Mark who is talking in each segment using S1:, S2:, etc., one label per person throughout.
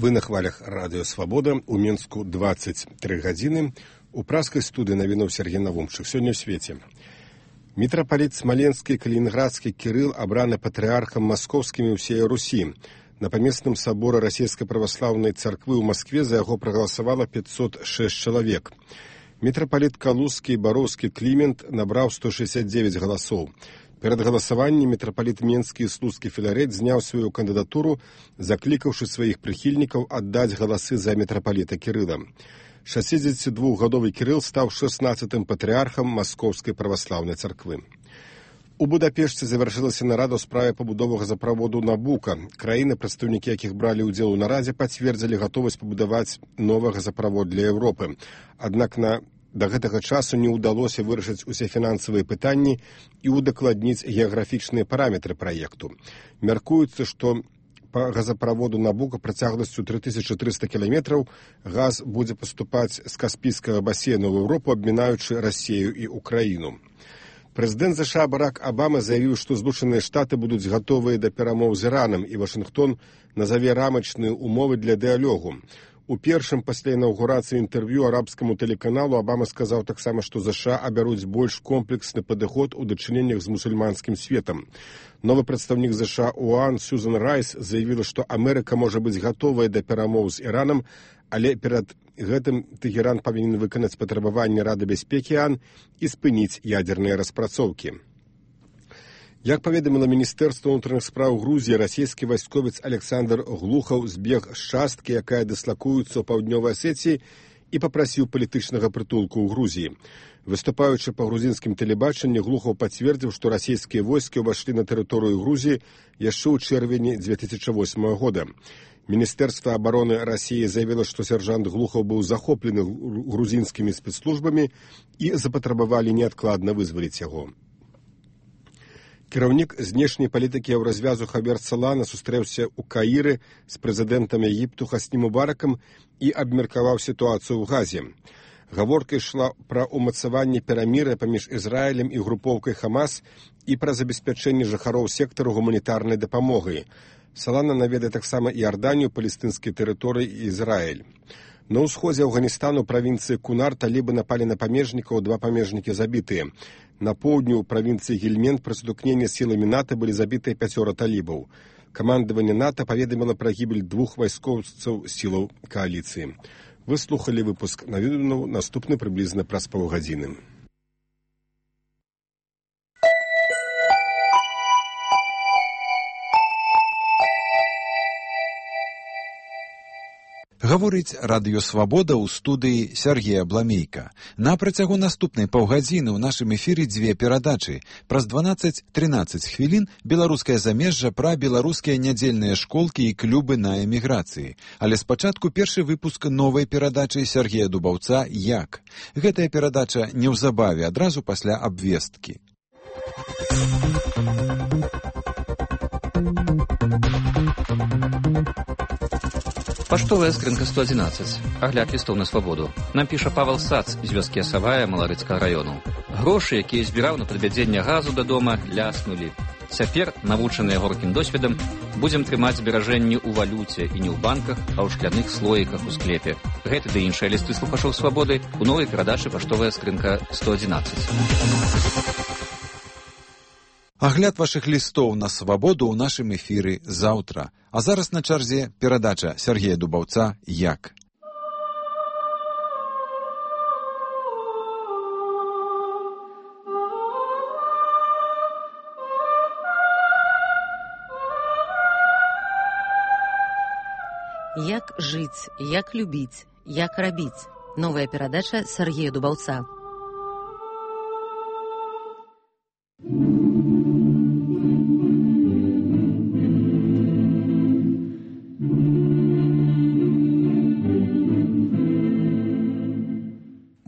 S1: Вы на хвалях радыё «Свабода». У Мінску 23 гадзіны. У праскай студыі навінуў Сергей Навумчык. Сёння ў свеце. Мітрапаліт Смаленскі, Калінінградскі Кірыл абраны патрыархам маскоўскім і ўсей Русі. На памесным саборы Расійскай праваслаўнай царквы ў Маскве за яго прагаласавала 506 чалавек. Мітрапаліт Калузскі і Бароўскі Клімент набраў 169 галасоў. Перад галасаваннем мітрапаліт Менскі і Слуцкі Філарэт зняў сваю кандыдатуру, заклікаўшы сваіх прыхільнікаў аддаць галасы за мітрапаліта Кірыла. 62-гадовы Кірыл стаў 16-тым патрыархам Маскоўскай праваслаўнай царквы. У Будапешце завяршылася нарада ў справе пабудовы газаправоду Набука. Краіны, прадстаўнікі якіх бралі ўдзел у нарадзе, пацвердзілі гатовасць пабудаваць новы газаправод для Еўропы. Аднак да гэтага часу не ўдалося вырашыць усе фінансавыя пытанні і удакладніць геаграфічныя параметры праекту. Мяркуецца, што па газаправоду Набука працягласцю 3300 кіламетраў газ будзе паступаць з Каспійскага басейна ў Еўропу, абмінаючы Расію і Украіну. Прэзідэнт США Барак Абама заявіў, што Злучаныя Штаты будуць гатовыя да перамоў з Іранам, і Вашынгтон назаве рамачныя умовы для дыялогу. У першым пасля інаўгурацыі інтэрв'ю арабскаму тэлеканалу Абама сказаў таксама, што США абяруць больш комплексны падыход у дачыненнях з мусульманскім светам. Новы прадстаўнік США ОАН Сьюзан Райс заявіла, што Амерыка можа быць гатовая да перамоў з Іранам, але перад гэтым Тэгеран павінен выканаць патрабаванні Рады бяспекі ОАН і спыніць ядзерныя распрацоўкі. Як паведаміла Міністэрства ўнутраных спраў Грузіі, расійскі вайсковец Александр Глухаў збег з часткі, якая дыслакуецца ў паўднёвай Асетіі, і папрасіў палітычнага прытулку ў Грузіі. Выступаючы па грузінскім тэлебачанні, Глухаў пацвердзіў, што расійскія войскі ўвайшлі на тэрыторыю Грузіі яшчэ ў чэрвені 2008 года. Міністэрства абароны Расіі заявіла, што сяржант Глухаў быў захоплены грузінскімі спецслужбамі і запатрабавалі неадкладна вызваліць яго. Кіраўнік знешняй палітыкі Еўразвязу Хавер Салана сустрэўся ў Каіры з прэзідэнтам Егіпту Хасні Мубаракам і абмеркаваў сітуацыю ў Газе. Гаворка ішла пра ўмацаванне перамір'я паміж Ізраілем і групоўкай Хамас і пра забеспячэнне жыхароў сектару гуманітарнай дапамогай. Салана наведае таксама Іорданію, палестынскія тэрыторыі і Ізраіль. На ўсходзе Афганістану правінцыі Кунар талібы напалі на памежнікаў, 2 памежнікі забітыя. На поўдню ў правінцыі Гельмент пры сутыкненні з сіламі НАТО былі забітыя 5 талібаў. Камандаванне НАТО паведаміла пра гібель 2 вайскоўцаў сілаў кааліцыі. Вы слухалі выпуск навіну, наступны прыблізна праз паўгадзіны.
S2: Гаворыць радыё «Свабода» ў студыі Сергея Бламейка. На працягу наступнай паўгадзіны ў нашым эфіры 2 перадачы. Праз 12-13 хвілін беларускае замежжа пра беларускія нядзельныя школкі і клубы на эміграцыі. Але спачатку першы выпуск новай перадачы Сергея Дубаўца «Як?». Гэтая перадача неўзабаве, адразу пасля абвесткі.
S3: Паштовая скрынка 111. Агляд лістоў на свабоду. Нам піша Павел Сац з вёскі Асавая Маларыцкага раёну. Грошы, якія збіраў на падвядзенне газу да дома, ляснулі. Цяпер, навучаныя горкім досведам, будзем трымаць зберажэнні ў валюце і не ў банках, а ў шкляных слоіках у склепе. Гэты ды іншыя лісты слухачоў свабоды у новай перадачы «Паштовая скрынка 111».
S2: Агляд вашых лістоў на свабоду ў нашым эфіры заўтра. А зараз на чарзе перадача Сергея Дубаўца «Як?».
S4: Як жыць, як любіць, як рабіць. Новая перадача Сергея Дубаўца.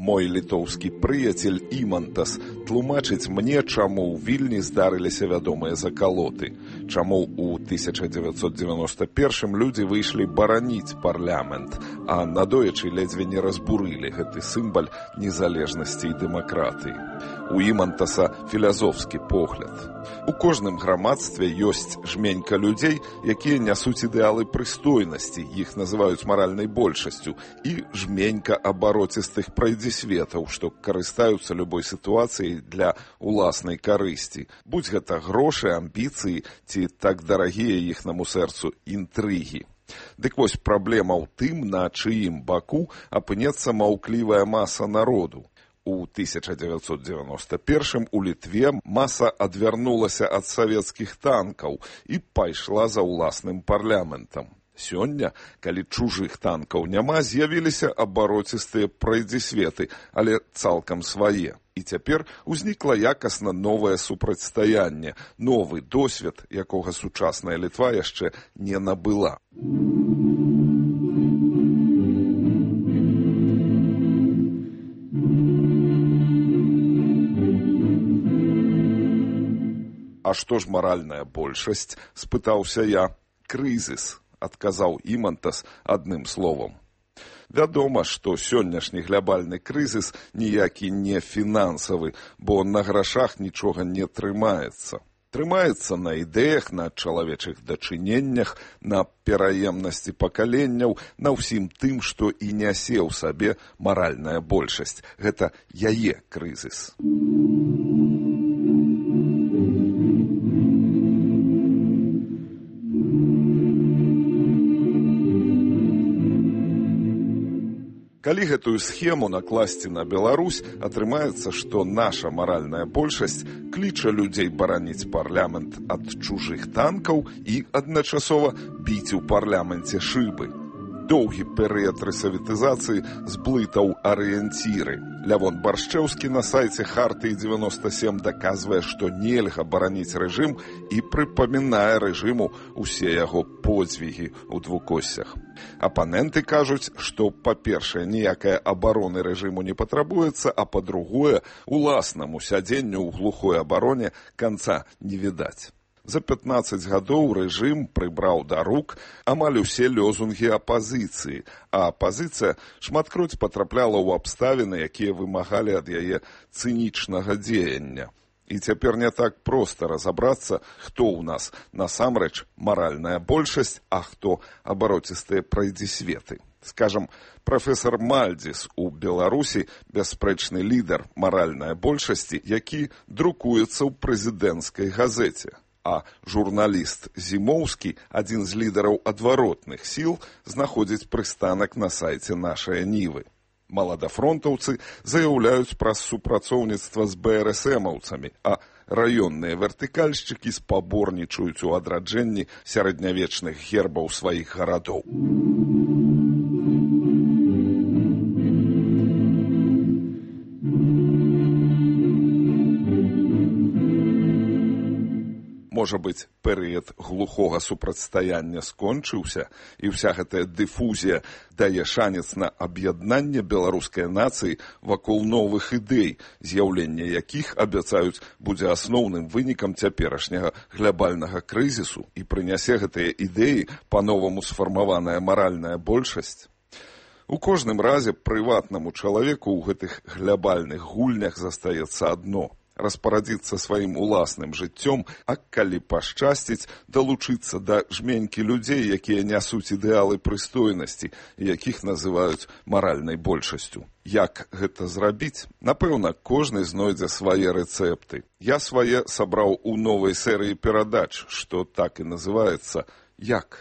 S5: Мой літоўскі прыяцель Імантас тлумачыць мне, чаму ў Вільні здарыліся вядомыя закалоты, чаму ў 1991 людзі выйшлі бараніць парламент, а надоечы ледзьве не разбурылі гэты сімбаль незалежнасці і дэмакратыі. у імантаса філазофскі погляд. У кожным грамадстве ёсць жменька людзей, якія нясуць ідэалы прыстойнасці, іх называюць маральнай большасцю, і жменька абароцістых прайдзісветаў, што карыстаюцца любой сітуацыяй для уласнай карысці. Будь гэта грошы, амбіцыі ці так дарагія іхнаму сэрцу інтрыгі. Дык вось праблема ў тым, на чыім баку апынецца маўклівая маса народу. У 1991 у Літве маса адвярнулася ад савецкіх танкаў і пайшла за ўласным парламентам. Сёння, калі чужых танкаў няма, з'явіліся абароцістыя прайдзісветы, але цалкам свае. І цяпер узнікла якасна новае супрацьстаянне, новы досвед, якога сучасная Літва яшчэ не набыла. А што ж маральная большасць? Спытаўся я. Крызіс, адказаў імантас адным словам. Вядома, што сённяшні глябальны крызіс ніякі не фінансавы, бо на грашах нічога не трымаецца. Трымаецца на ідэях, на чалавечых дачыненнях, на пераемнасці пакаленняў, на ўсім тым, што і нясе ў сабе маральная большасць. Гэта яе крызіс. Калі гэтую схему накласці на Беларусь, атрымаецца, што наша маральная большасць кліча людзей бараніць парламент ад чужых танкаў і адначасова біць у парламенце шыбы. Доўгі перыяд рэсавітызацыі зблытаў арыенціры. Лявон Баршчэўскі на сайце Хартыі 97 даказвае, што нельга бараніць рэжым і прыпамінае рэжыму усе яго подзвігі ў двукоссях. Апаненты кажуць, што, па-першае, ніякая абароны рэжыму не патрабуецца, а па-другое, уласнаму сядзенню ў глухой абароне канца не відаць. За 15 гадоў рэжым прыбраў да рук амаль усе лёзунгі апазіцыі, а апазіцыя шматкроць патрапляла ў абставіны, якія вымагалі ад яе цынічнага дзеяння. І цяпер не так проста разабрацца, хто ў нас насамрэч маральная большасць, а хто абароцістыя прайдзісветы. Скажам, прафесар Мальдзіс у Беларусі бясспрэчны лідар маральнай большасці, які друкуецца ў прэзідэнцкай газеце. А журналіст Зімоўскі, адзін з лідараў адваротных сіл, знаходзіць прыстанак на сайце «Нашая Нівы». Маладафронтаўцы заяўляюць пра супрацоўніцтва з БРСМаўцамі, а раённыя вертыкальшчыкі спаборнічаюць у адраджэнні сярэднявечных гербаў сваіх гарадоў. Можа быць, перыяд глухога супрацьстаяння скончыўся, і ўся гэтая дыфузія дае шанец на аб'яднанне беларускай нацыі вакол новых ідэй, з'яўленне якіх, абяцаюць, будзе асноўным вынікам цяперашняга глябальнага крызісу і прынясе гэтыя ідэі па-новаму сфармаваная маральная большасць. У кожным разе прыватнаму чалавеку ў гэтых глябальных гульнях застаецца адно – распарадзіцца сваім уласным жыццём, а калі пашчасціць, далучыцца да жменькі людзей, якія нясуць ідэалы прыстойнасці, якіх называюць маральнай большасцю. Як гэта зрабіць? Напэўна, кожны знойдзе свае рэцэпты. Я свае сабраў у новай серыі перадач, што так і называецца «Як?».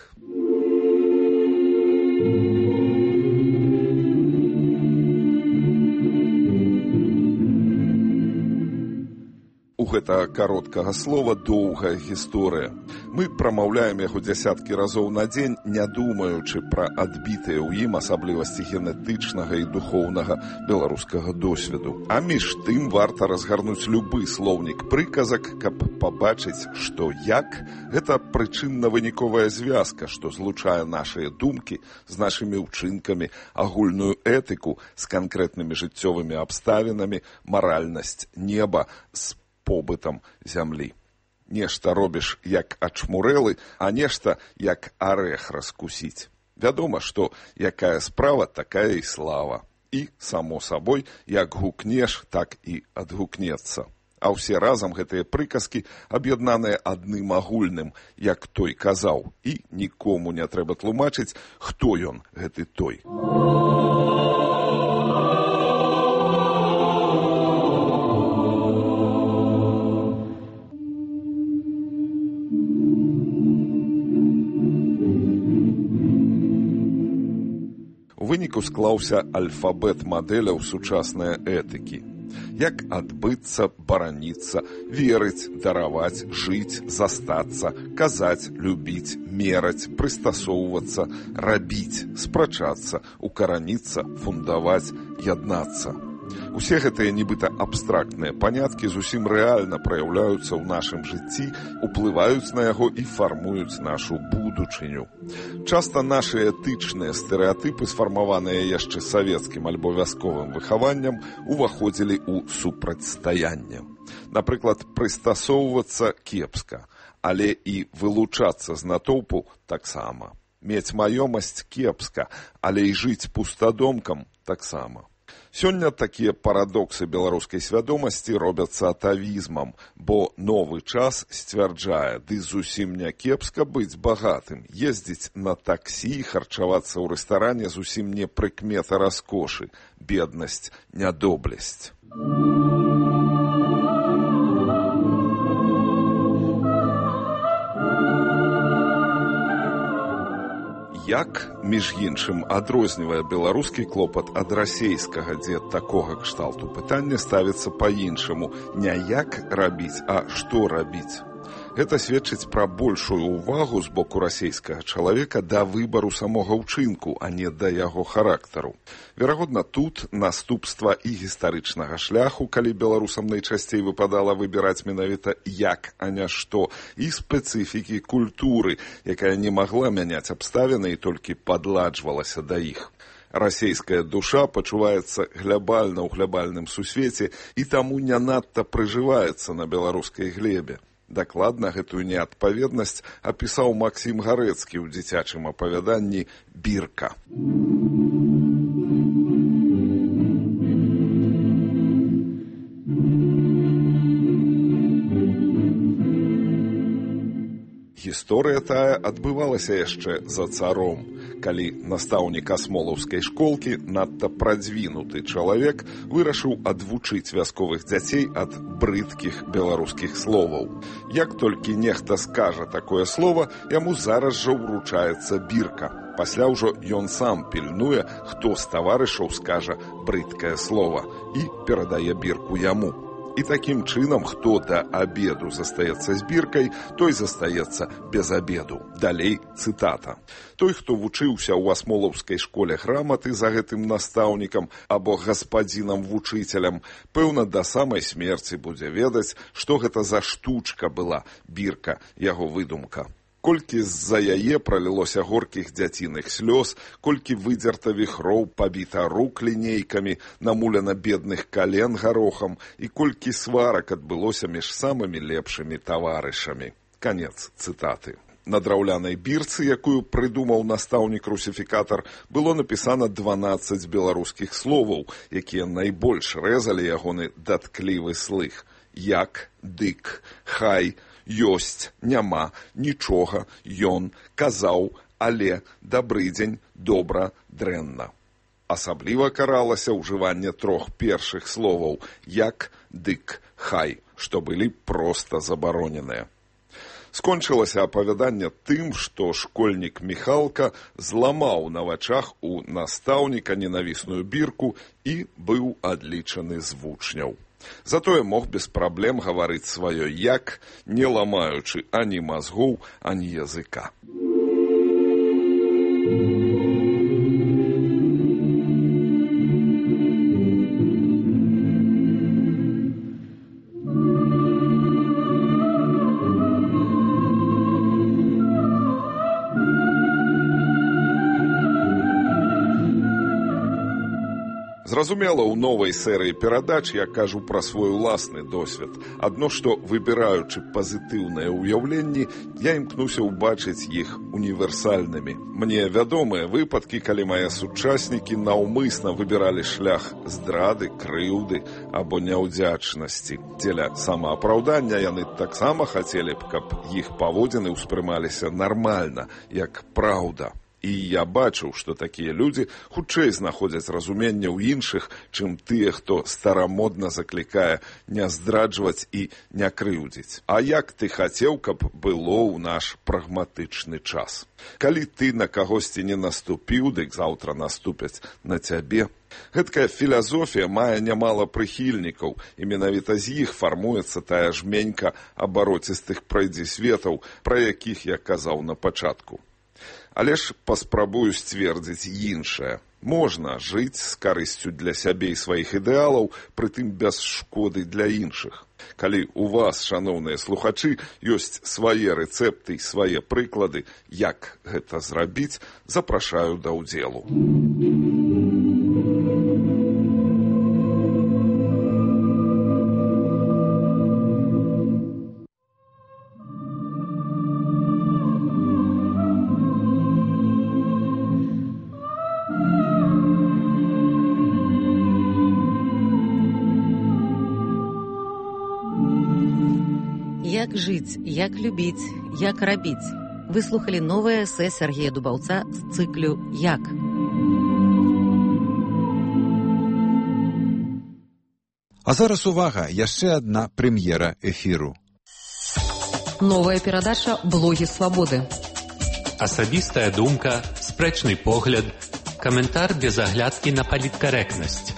S5: У гэтага кароткага слова доўгая гісторыя. Мы прамаўляем яго дзясяткі разоў на дзень, не думаючы пра адбітыя ў ім асаблівасці генетычнага і духоўнага беларускага досведу. А між тым варта разгарнуць любы слоўнік прыказак, каб пабачыць, што «як» – гэта прычынна-выніковая звязка, што злучае нашыя думкі з нашымі ўчынкамі, агульную этыку з канкрэтнымі жыццёвымі абставінамі, маральнасць неба з побытам зямлі. Нешта робіш як ачмурэлы, а нешта як арэх раскусіць. Вядома, што якая справа, такая і слава. І, само сабой, як гукнеш, так і адгукнецца. А ўсе разам гэтыя прыказкі аб'яднаныя адным агульным, як той казаў, і нікому не трэба тлумачыць, хто ён, гэты той. У выніку склаўся альфабет мадэляў сучаснай этыкі. Як адбыцца, бараніцца, верыць, дараваць, жыць, застацца, казаць, любіць, мераць, прыстасоўвацца, рабіць, спрачацца, укараніцца, фундаваць, яднацца. Усе гэтыя нібыта абстрактныя паняткі зусім рэальна праяўляюцца ў нашым жыцці, уплываюць на яго і фармуюць нашу будучыню. Часта нашы этычныя стэрэатыпы, сфармаваныя яшчэ савецкім альбо вясковым выхаваннем, уваходзілі ў супрацьстаянне. Напрыклад, прыстасоўвацца кепска, але і вылучацца з натоўпу таксама. Мець маёмасць кепска, але і жыць пустадомкам таксама. Сёння такія парадоксы беларускай свядомасці робяцца атавізмам, бо новы час сцвярджае, ды зусім не кепска быць багатым, ездзіць на таксі, харчавацца ў рэстаране зусім не прыкмета раскошы, беднасць, нядоблесць. Як, між іншым, адрознівае беларускі клопат ад расейскага, дзе такога кшталту пытання ставіцца па-іншаму, не як рабіць, а што рабіць. Гэта сведчыць пра большую ўвагу з боку расейскага чалавека да выбару самога ўчынку, а не да яго характару. Верагодна, тут наступства і гістарычнага шляху, калі беларусам найчасцей выпадала выбіраць менавіта як, а не што, і спецыфікі культуры, якая не магла мяняць абставіны і толькі падладжвалася да іх. Расейская душа пачуваецца глябальна ў глябальным сусвеце і таму не надта прыжываецца на беларускай глебе. Дакладна гэтую неадпаведнасць апісаў Максім Гарэцкі ў дзіцячым апавяданні «Бірка». Гісторыя тая адбывалася яшчэ за царом, калі настаўнік асмолаўскай школкі, надта прадзвінуты чалавек, вырашыў адвучыць вясковых дзяцей ад брыдкіх беларускіх словаў. Як толькі нехта скажа такое слово, яму зараз жа ўручаецца бірка. Пасля ўжо ён сам пільнуе, хто з таварышаў скажа брыдкае слово і перадае бірку яму. І такім чынам, хто да абеду застаецца з біркай, той застаецца без абеду. Далей цытата. Той, хто вучыўся ў асмолаўскай школе граматы за гэтым настаўнікам або гаспадзінам-вучыцелем, пэўна, да самай смерці будзе ведаць, што гэта за штучка была бірка, яго выдумка. Колькі з-за яе пралілося горкіх дзяціных слёз, колькі выдзерта віхроў, пабіта рук лінейкамі, намулена бедных кален гарохам, і колькі сварак адбылося між самымі лепшымі таварышамі. Канец цытаты. На драўлянай бірцы, якую прыдумаў настаўнік-русіфікатар, было напісана 12 беларускіх словаў, якія найбольш рэзалі ягоны датклівы слых. Як, дык, хай, ёсць, няма, нічога, ён, казаў, але, дабры дзень, добра, дрэнна. Асабліва каралася ўжыванне 3 першых словаў як, дык, хай, што былі проста забароненыя. Скончылася апавяданне тым, што школьнік Міхалка зламаў на вачах у настаўніка ненавісную бірку і быў адлічаны з вучняў. Затое мог без праблем гаварыць сваё як, не ламаючы ані мазгоў, ані языка. Зразумела, у новай серыі перадач я кажу пра свой уласны досвед. Адно што, выбіраючы пазітыўныя ўяўленні, я імкнуся ўбачыць іх універсальнымі. Мне вядомыя выпадкі, калі мае сучаснікі наўмысна выбіралі шлях здрады, крыўды або няўдзячнасці. Дзеля самаапраўдання яны таксама хацелі б, каб іх паводзіны ўспрымаліся нармальна, як праўда. І я бачыў, што такія людзі хутчэй знаходзяць разуменне ў іншых, чым тыя, хто старамодна заклікае не здраджваць і не крыўдзіць. А як ты хацеў, каб было ў наш прагматычны час? Калі ты на кагосьці не наступіў, дык заўтра наступяць на цябе. Гэткая філасофія мае нямала прыхільнікаў, і менавіта з іх фармуецца тая жменька абароцістых прайдзісветаў, пра якіх я казаў на пачатку. Але ж паспрабую сцвердзіць іншае. Можна жыць з карысцю для сябе і сваіх ідэалаў, прытым без шкоды для іншых. Калі у вас, шаноўныя слухачы, ёсць свае рэцэпты і свае прыклады, як гэта зрабіць, запрашаю да ўдзелу.
S4: Як жыць, як любіць, як рабіць. Вы слухалі новае эсэ Сергея Дубаўца з цыклю «Як».
S2: А зараз увага, яшчэ адна прэм'ера эфіру.
S6: Новая перадача «Блогі свабоды».
S7: Асабістая думка, спрэчны погляд, каментар без аглядкі на паліткарэктнасць.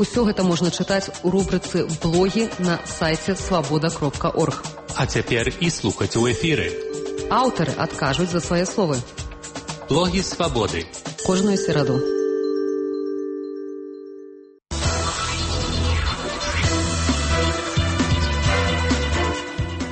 S6: Усё гэта можна чытаць у рубрыцы «Блогі» на сайце свабода.орг.
S7: А цяпер і слухаць у эфіры.
S6: Аўтары адкажуць за свае словы.
S7: Блогі свабоды.
S6: Кожную сераду.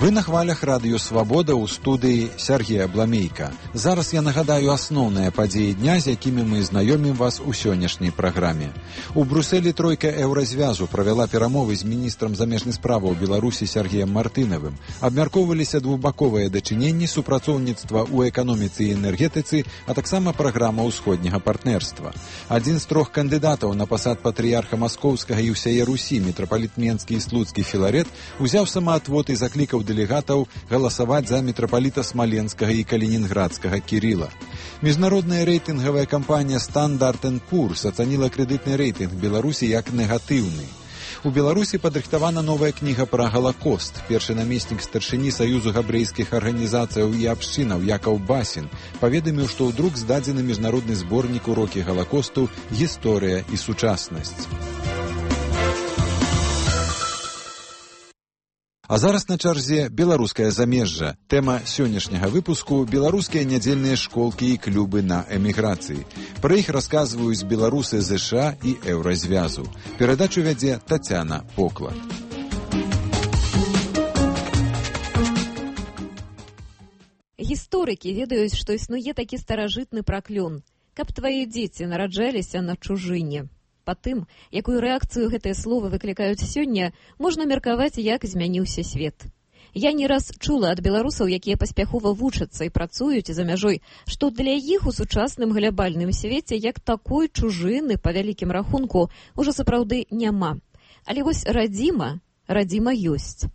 S2: Вы на хвалях радыё «Свабода» ў студыі Сергея Бламейка. Зараз я нагадаю асноўныя падзеі дня, з якімі мы знаёмім вас у сённяшняй праграме. У Брусэлі тройка еўразвязу правяла перамовы з міністрам замежных справаў Беларусі Сергеем Мартынавым. Абмяркоўваліся двухбаковыя дачыненні, супрацоўніцтва ў эканоміцы і энергетыцы, а таксама праграма ўсходняга партнерства. Адзін з трох кандыдатаў на пасад патрыярха Маскоўскага і ўсяе Русі, мітрапаліт Менскі і Слуцкі Філарет, узяў самаатвод і заклікаў дэлегатаў галасаваць за мітрапаліта Смаленскага і Калінінградскага Кірыла. Міжнародная рэйтынгавая кампанія Standard & Poor's ацаніла крэдытны рэйтынг Беларусі як негатыўны. У Беларусі падрыхтавана новая кніга пра Галакост. Першы намеснік старшыні Саюзу габрэйскіх арганізацыяў і абшчынаў Якаў Басін паведаміў, што ў друк здадзены міжнародны зборнік урокі Галакосту «Гісторыя і сучаснасць». А зараз на чарзе беларускае замежжа. Тэма сённяшняга выпуску – беларускія нядзельныя школкі і клубы на эміграцыі. Пра іх расказваюць беларусы ЗША і еўразвязу. Перадачу вядзе Тацяна Поклад.
S8: Гісторыкі ведаюць, што існуе такі старажытны праклён, каб твае дзеці нараджаліся на чужыне. Па тым, якую рэакцыю гэтыя словы выклікаюць сёння, можна меркаваць, як змяніўся свет. Я не раз чула ад беларусаў, якія паспяхова вучацца і працуюць за мяжой, што для іх у сучасным глябальным свеце як такой чужыны, па вялікім рахунку, ужо сапраўды няма. Але вось радзіма ёсць.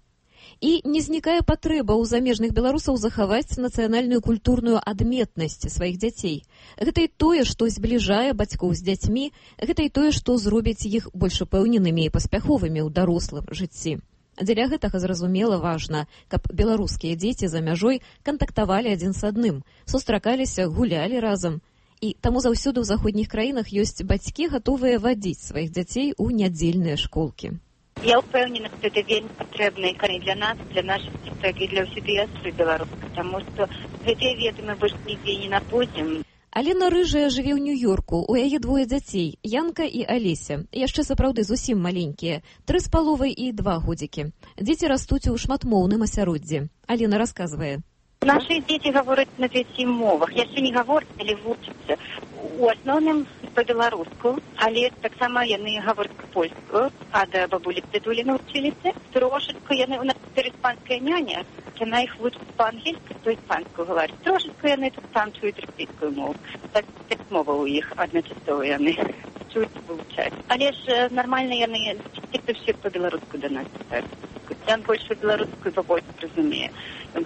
S8: І не знікае патрэба ў замежных беларусаў захаваць нацыянальную культурную адметнасць сваіх дзяцей. Гэта і тое, што збліжае бацькоў з дзяцьмі, гэта і тое, што зробіць іх больш упэўненымі і паспяховымі ў дарослым жыцці. Дзеля гэтага, зразумела, важна, каб беларускія дзеці за мяжой кантактавалі адзін з адным, сустракаліся, гулялі разам. І таму заўсёды ў заходніх краінах ёсць бацькі, гатовыя вадзіць сваіх дзяцей у нядзельныя школкі.
S9: Я ўпэўнена, што гэта вельмі патрэбна і для нас, для нашых дзяцей, і для ўсёй дыяспоры беларускай, таму што гэтыя веды мы больш нідзе не напойдзем.
S8: Алена Рыжая жыве ў Нью-Йорку, у яе двое дзяцей, Янка і Алеся, яшчэ сапраўды зусім маленькія, 3,5 і 2 годзікі. Дзеці растуць у шматмоўным асяроддзі. Алена расказвае.
S9: Наши дети говорят на 5 мовах. Яшчэ не говорят, але вучацца. У асноўным по-беларуску, але таксама яны говорят польскую, а да бабулі дзедулі научыліся. Трошечку яны, у нас цяпер іспанская няня, яна іх вучыць па-ангельску, то іспанскую говорить. Трошечку яны тут там чуюць расійскую мову. Так 5 моваў у іх адначасова яны чуюць, вывучаюць. Але ж нармальна яны все по-беларуску да нас читаюць. Я больше белорусскую побольше разумею.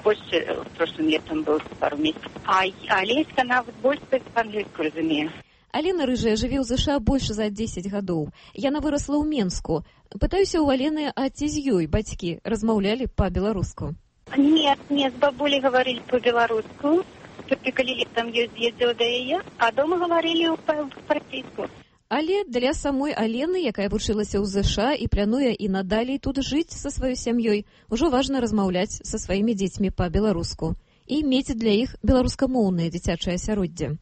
S9: Больше в прошлом летом был пару месяцев. А Олеська, она больше по-английски разумею.
S8: Алена Рыжая жыве ў ЗША больше за 10 гадоў. Яна вырасла ў Менску. Пытаюся ў Алены, а ці з ёй бацькі размаўлялі па-беларуску?
S9: Нет, с бабулей говорили по-белоруску. Только коли летом ездила до яе, а дома говорили по-российски.
S8: Але для самой Алены, якая вучылася ў ЗША і плануе і надалей тут жыць са сваёй сям'ёй, ужо важна размаўляць са сваімі дзецьмі па-беларуску і мець для іх беларускамоўнае дзіцячае асяроддзе.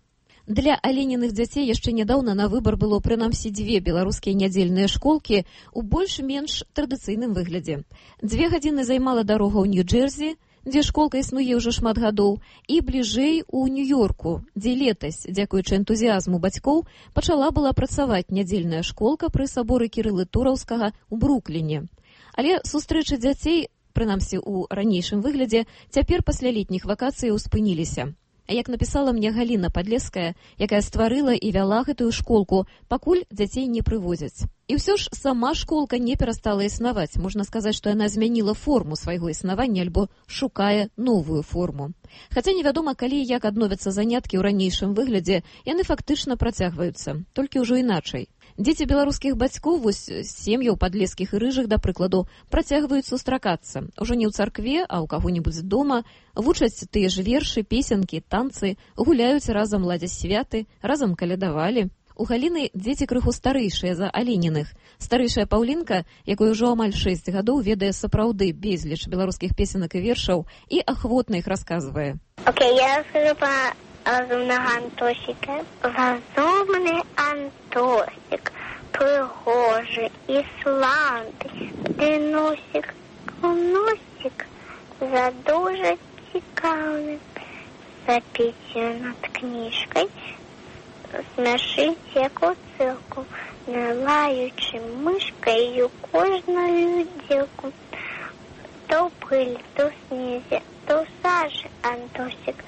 S8: Для Алениных дзяцей яшчэ нядаўна на выбар было прынамсі 2 беларускія нядзельныя школкі ў больш-менш традыцыйным выглядзе. 2 гадзіны займала дарога ў Нью-Джерсі, дзе школка існуе ўжо шмат гадоў, і бліжэй у Нью-Йорку, дзе летась, дзякуючы энтузіязму бацькоў, пачала была працаваць нядзельная школка пры саборы Кірылы Тураўскага ў Брукліне. Але сустрэчы дзяцей, прынамсі ў ранейшым выглядзе, цяпер пасля летніх вакацый успыніліся. А як напісала мне Галіна Падлеская, якая стварыла і вяла гэтую школку, пакуль дзяцей не прывозяць. І ўсё ж сама школка не перастала існаваць. Можна сказаць, што яна змяніла форму свайго існавання альбо шукае новую форму. Хаця невядома, калі і як адновяцца заняткі ў ранейшым выглядзе, яны фактычна працягваюцца, толькі ўжо іначай. Дзеці беларускіх бацькоў, вось сем'яў Падлескіх і Рыжых, да прыкладу, працягваюць сустракацца. Ужо не ў царкве, а ў каго-небудзь дома, вучаць тыя ж вершы, песенкі, танцы, гуляюць разам, ладзяць святы, разам калядавалі. У Галіны дзеці крыху старэйшыя за Алениных. Старэйшая Паўлінка, якой ужо амаль 6 гадоў, ведае сапраўды безліч беларускіх песенак і вершаў і ахвотна іх расказвае.
S10: Я раскажу про разумного Антосика. Разумный Антосик, пригожий і славний, де носик, носик, за дуже цікавий, за пісню над книжкой, смешить яку цирку, не лаючи мишкою кожну люділку. То в пилі, то в снізі, то в сажі Антосик,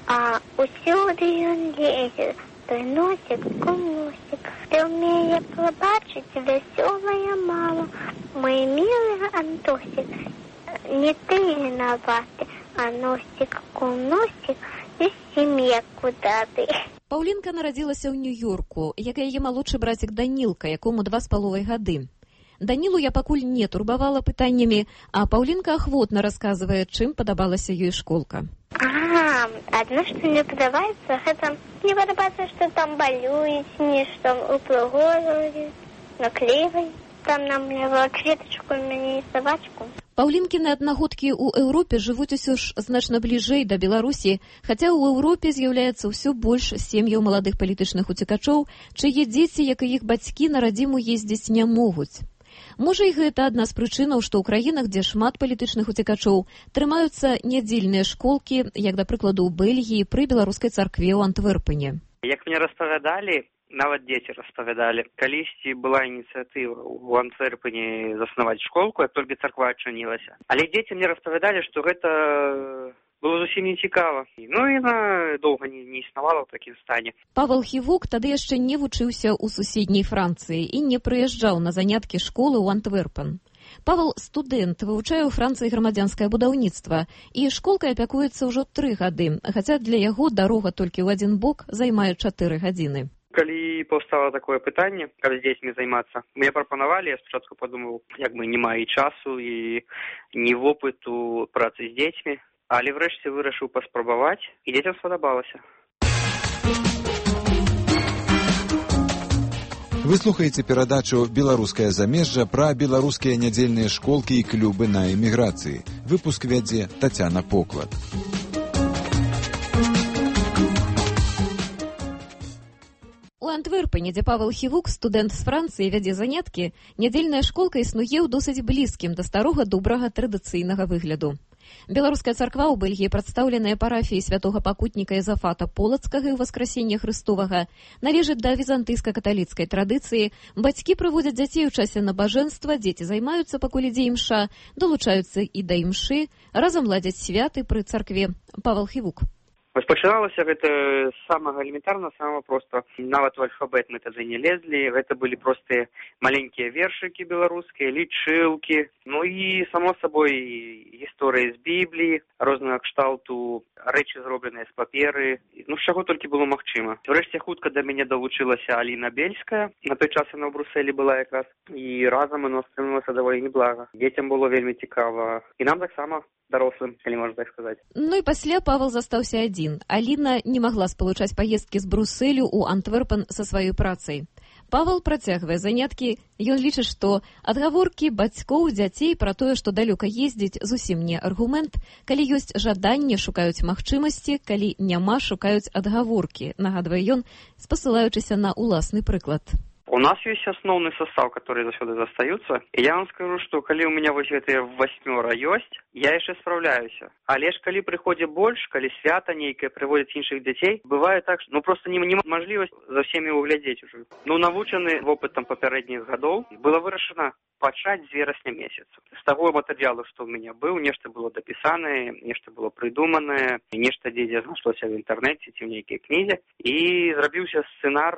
S10: а усюди він лізе, той носик, кумусик. Ти вміє побачить веселая мало, мой милый Антосик, не ты виноваты, а носик, кумусик, і сім'я куда ты.
S8: Паўлінка нарадзілася ў Нью-Йорку, як і яе малодшы брацік Данілка, якому 2,5 гады. Данілу я пакуль не турбавала пытаннямі, а Паўлінка ахвотна расказвае, чым падабалася ёй школка.
S10: Адно, што мне падабаецца, гэта не падабаецца, што там балююць, не што упрыгожваюць, наклейваюць. Там нам кветачку, мяне і сабачку.
S8: Паўлінкіны аднагодкі ў Еўропе жывуць усё ж значна бліжэй да Беларусі, хаця ў Еўропе з'яўляецца ўсё больш сем'яў маладых палітычных уцекачоў, чые дзеці, як і іх бацькі, на радзіму ездзіць не могуць. Можа, і гэта адна з прычынаў, што ў краінах, дзе шмат палітычных уцекачоў, трымаюцца нядзельныя школкі, як, да прыкладу, у Бельгіі пры беларускай царкве ў Антверпене.
S11: Як мне распавядалі, нават дзеці распавядалі, калісьці была ініцыятыва ў Антверпене заснаваць школку, як толькі царква адчынілася. Але дзеці мне распавядалі, што гэта было зусім не цікава. Ну і яна доўга не існавала ў такім стане.
S8: Павел Хівук тады яшчэ не вучыўся ў суседняй Францыі і не прыязджаў на заняткі школы ў Антверпен. Павел студэнт, вывучае ў Францыі грамадзянскае будаўніцтва, і школкай апякуецца ўжо 3 гады, хаця для яго дарога толькі ў адзін бок займае 4 гадзіны.
S11: Калі паўстала такое пытанне, каб з дзецьмі займацца, мне прапанавалі, я спачатку падумаў, як бы няма і часу, і ні вопыту працы з дзецьмі, але врэшце вырашыў паспрабаваць, і дзецям спадабалася.
S2: Вы слухаеце перадачу «Беларускае замежжа» пра беларускія нядзельныя школкі і клубы на эміграцыі. Выпуск вядзе Тацяна Поклад.
S8: У Антверпене, дзе Павел Хівук, студэнт з Францыі, вядзе заняткі, нядзельная школка існуе ў досыць блізкім да старога добрага традыцыйнага выгляду. Беларуская царква ў Бельгіі, прадстаўленая парафіяй святога пакутніка Ізафата Полацкага і Васкрасення Хрыстовага, належыць да візантыйска-каталіцкай традыцыі. Бацькі прыводзяць дзяцей у часе набажэнства, дзеці займаюцца, пакуль ідзе імша, долучаюцца і да імшы, разам ладзяць святы пры царкве. Павел Хівук.
S11: Пачыналася гэта з самага элементарна, самага проста. Нават у альфабет мы тады не лезлі. Гэта былі простыя маленькія вершыкі беларускія, лічылкі. Ну і, само сабой, гісторыі з Бібліі, рознага кшталту, рэчы зробленыя з паперы. Ну, з чаго толькі было магчыма. Урэшце хутка да мяне далучылася Аліна Бельская. На той час яна ў Брусэлі была якраз. І разам яно становілася даволі неблага. Дзецям было вельмі цікава. І нам таксама дарослым, калі можна так сказаць.
S8: Ну і пасля Павел застаўся адзін. Аліна не магла спалучаць паездкі з Брусэлю ў Антверпен са сваёй працай. Павел працягвае заняткі. Ён лічыць, што адгаворкі бацькоў, дзяцей пра тое, што далёка ездзіць, зусім не аргумент. Калі ёсць жаданне, шукаюць магчымасці, калі няма, шукаюць адгаворкі, нагадвае ён, спасылаючыся на ўласны прыклад.
S11: У нас есть основный состав, который заўсёды застаюцца. И я вам скажу, что калі у меня вось гэтыя 8 ёсць, я яшчэ справляюся. Але ж калі прыходзі больш, калі свята нейкае прыводзяць іншых дзяцей, бывае так, что просто нема мажлівасць за всеми углядзець уже. Ну, навучаны вопытам папярэдніх гадоў, было вырашана пачаць з верасня месяца. З таго матэрыялу, што ў мяне быў, нешта было дапісанае, нешта было прыдуманае, нешта дзе знайшлося в інтэрнэце ці ў нейкай кнізе. І зрабіўся сцэнар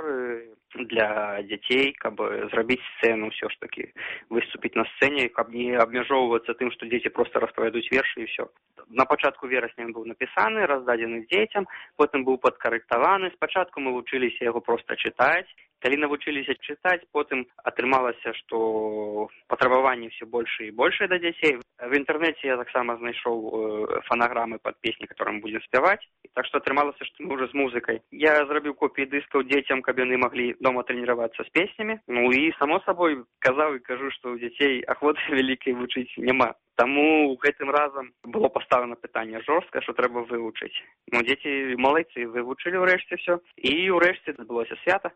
S11: для дзяцей, каб зрабіць сцэну ўсё ж такі, выступіць на сцэне, каб не абмяжоўвацца тым, што дзеці проста распавядуць вершы і ўсё. На пачатку верасня ён быў напісаны, раздадзены дзецям, потым быў падкарэктаваны. Спачатку мы вучыліся яго проста чытаць. Калі навучыліся чытаць, потым атрымалася, што патрабаванні ўсё больше і больше да дзяцей. В інтэрнэце я таксама знайшоў фанаграмы пад песні, которые мы будзем спяваць. Так што атрымалася, што мы ўжо з музыкай. Я зрабіў копіі дыскаў дзецям, каб яны маглі дома трэніравацца з песнямі. Ну і, само сабой, казаў і кажу, што ў дзяцей ахвоты вялікай вучыць няма. Таму гэтым разам было паставлена пытанне жорстка, што трэба вывучыць. Ну, дзеці малайцы вывучылі ўрэшце ўсё. І ўрэшце адбылося свята.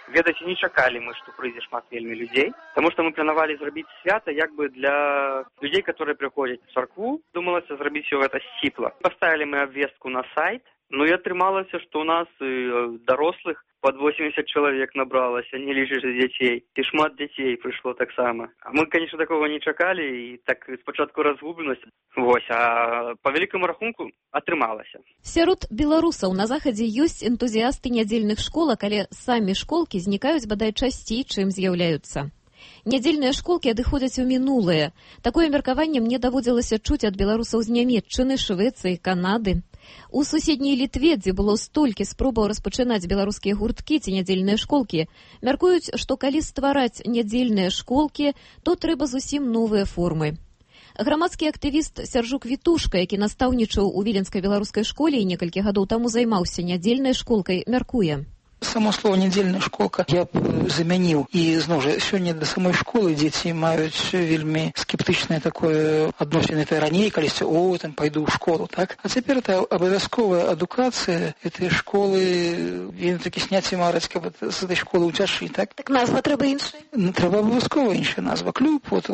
S11: Ведаеце, не чакалі мы, што прыйдзе шмат вельмі людзей, таму што мы планавалі зрабіць свята як бы для людзей, которые прыходзяць у царкву. Думалася зрабіць усё гэта сціпла. Паставілі мы абвестку на сайт, ну і атрымалася, што ў нас дарослых под 80 чалавек набралася, не лічыш дзяцей. І шмат дзяцей прыйшло таксама. А мы, конечно, такого не чакалі, і так спачатку разгубленасць. Вось, а па вялікаму рахунку атрымалася.
S8: Сярод беларусаў на захадзе ёсць энтузіасты нядзельных школак, але самі школкі знікаюць бадай часцей, чым з'яўляюцца. Нядзельныя школкі адыходзяць у мінулае. Такое меркаванне мне даводзілася чуць ад беларусаў з Нямецчыны, Швецыі, Канады. У суседняй Літве, дзе было столькі спробаў распачынаць беларускія гурткі ці нядзельныя школкі, мяркуюць, што калі ствараць нядзельныя школкі, то трэба зусім новыя формы. Грамадскі актывіст Сяржук Вітушка, які настаўнічаў у віленскай беларускай школе і некалькі гадоў таму займаўся нядзельнай школкай, мяркуе.
S12: Само слово «нядзельная школка» я б замяніў. І, зноў жа, сёння да самой школы дзеці маюць вельмі скептычнае такое адносіны. Это раней, калісьці, там пайду ў школу, так? А цяпер это абавязковая адукацыя этой школы. Вельмі такі сняць і мараць, каб з этой школы ўцяшы, так?
S13: Так назва трэба іншая?
S12: Трэба абавязкова іншая назва. Клуб, вот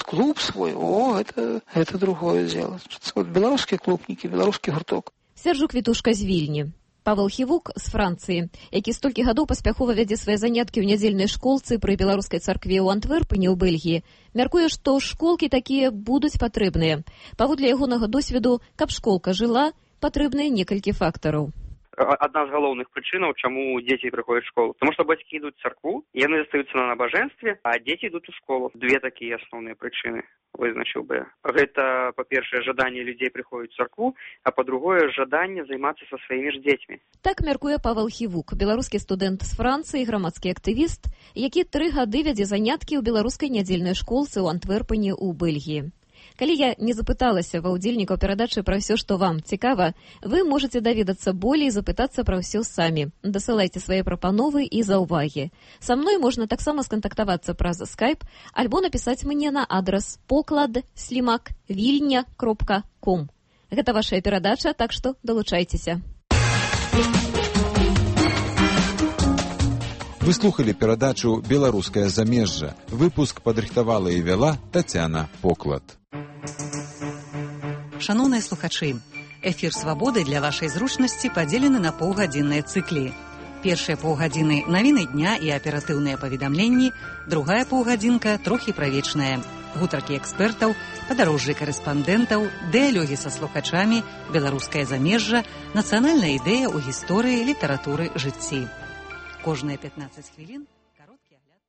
S12: клуб свой, это другое дело. Вот беларускія клубнікі, беларускі гурток.
S8: Сяржук Вітушка з Вільні. Павел Хівук з Францыі, які столькі гадоў паспяхова вядзе свае заняткі ў нядзельнай школцы пры беларускай царкве ў Антверпені ў Бельгіі, мяркуе, што школкі такія будуць патрэбныя. Паводле ягонага досведу, каб школка жыла, патрэбныя некалькі фактараў.
S11: Адна з галоўных прычынаў, чаму дзеці прыходзяць у школу. Таму што бацькі ідуць у царкву, яны застаюцца на набажэнстве, а дзеці ідуць у школу. Две такія асноўныя прычыны вызначыў бы. Гэта, па-першае, жаданне людзей прыходзіць у царкву, а па-другое, жаданне займацца са сваімі ж дзецьмі.
S8: Так мяркуе Павел Хівук, беларускі студэнт з Францыі, грамадскі актывіст, які 3 гады вядзе заняткі ў беларускай нядзельнай школцы ў Антверпені ў Бельгіі. Калі я не запыталася ва ўдзельнікаў перадачы пра ўсё, што вам цікава, вы можаце даведацца болей і запытацца пра ўсё самі. Дасылайце свае прапановы і заўвагі. Са мной можна таксама скантактавацца праз Skype альбо напісаць мне на адрас poklad@vilnya.com. Гэта вашая перадача, так што далучайцеся.
S2: Вы слухали перадачу «Беларускае замежжа». Выпуск падрыхтавала і вяла Тацяна Поклад.
S13: Шановныя слухачы, эфір «Свабоды» для вашай зручнасці падзелены на паўгадзінныя цыклі. Першыя паўгадзіны – навіны дня і аператыўныя паведамленні, другая паўгадзінка – трохі правечная. Гутаркі экспертаў, падарожжы карэспандэнтаў, дыялогі са слухачамі, беларускае замежжа, нацыянальная ідэя ў гісторыі, літаратуры, жыцці. Кожныя 15 хвілін кароткі агляд.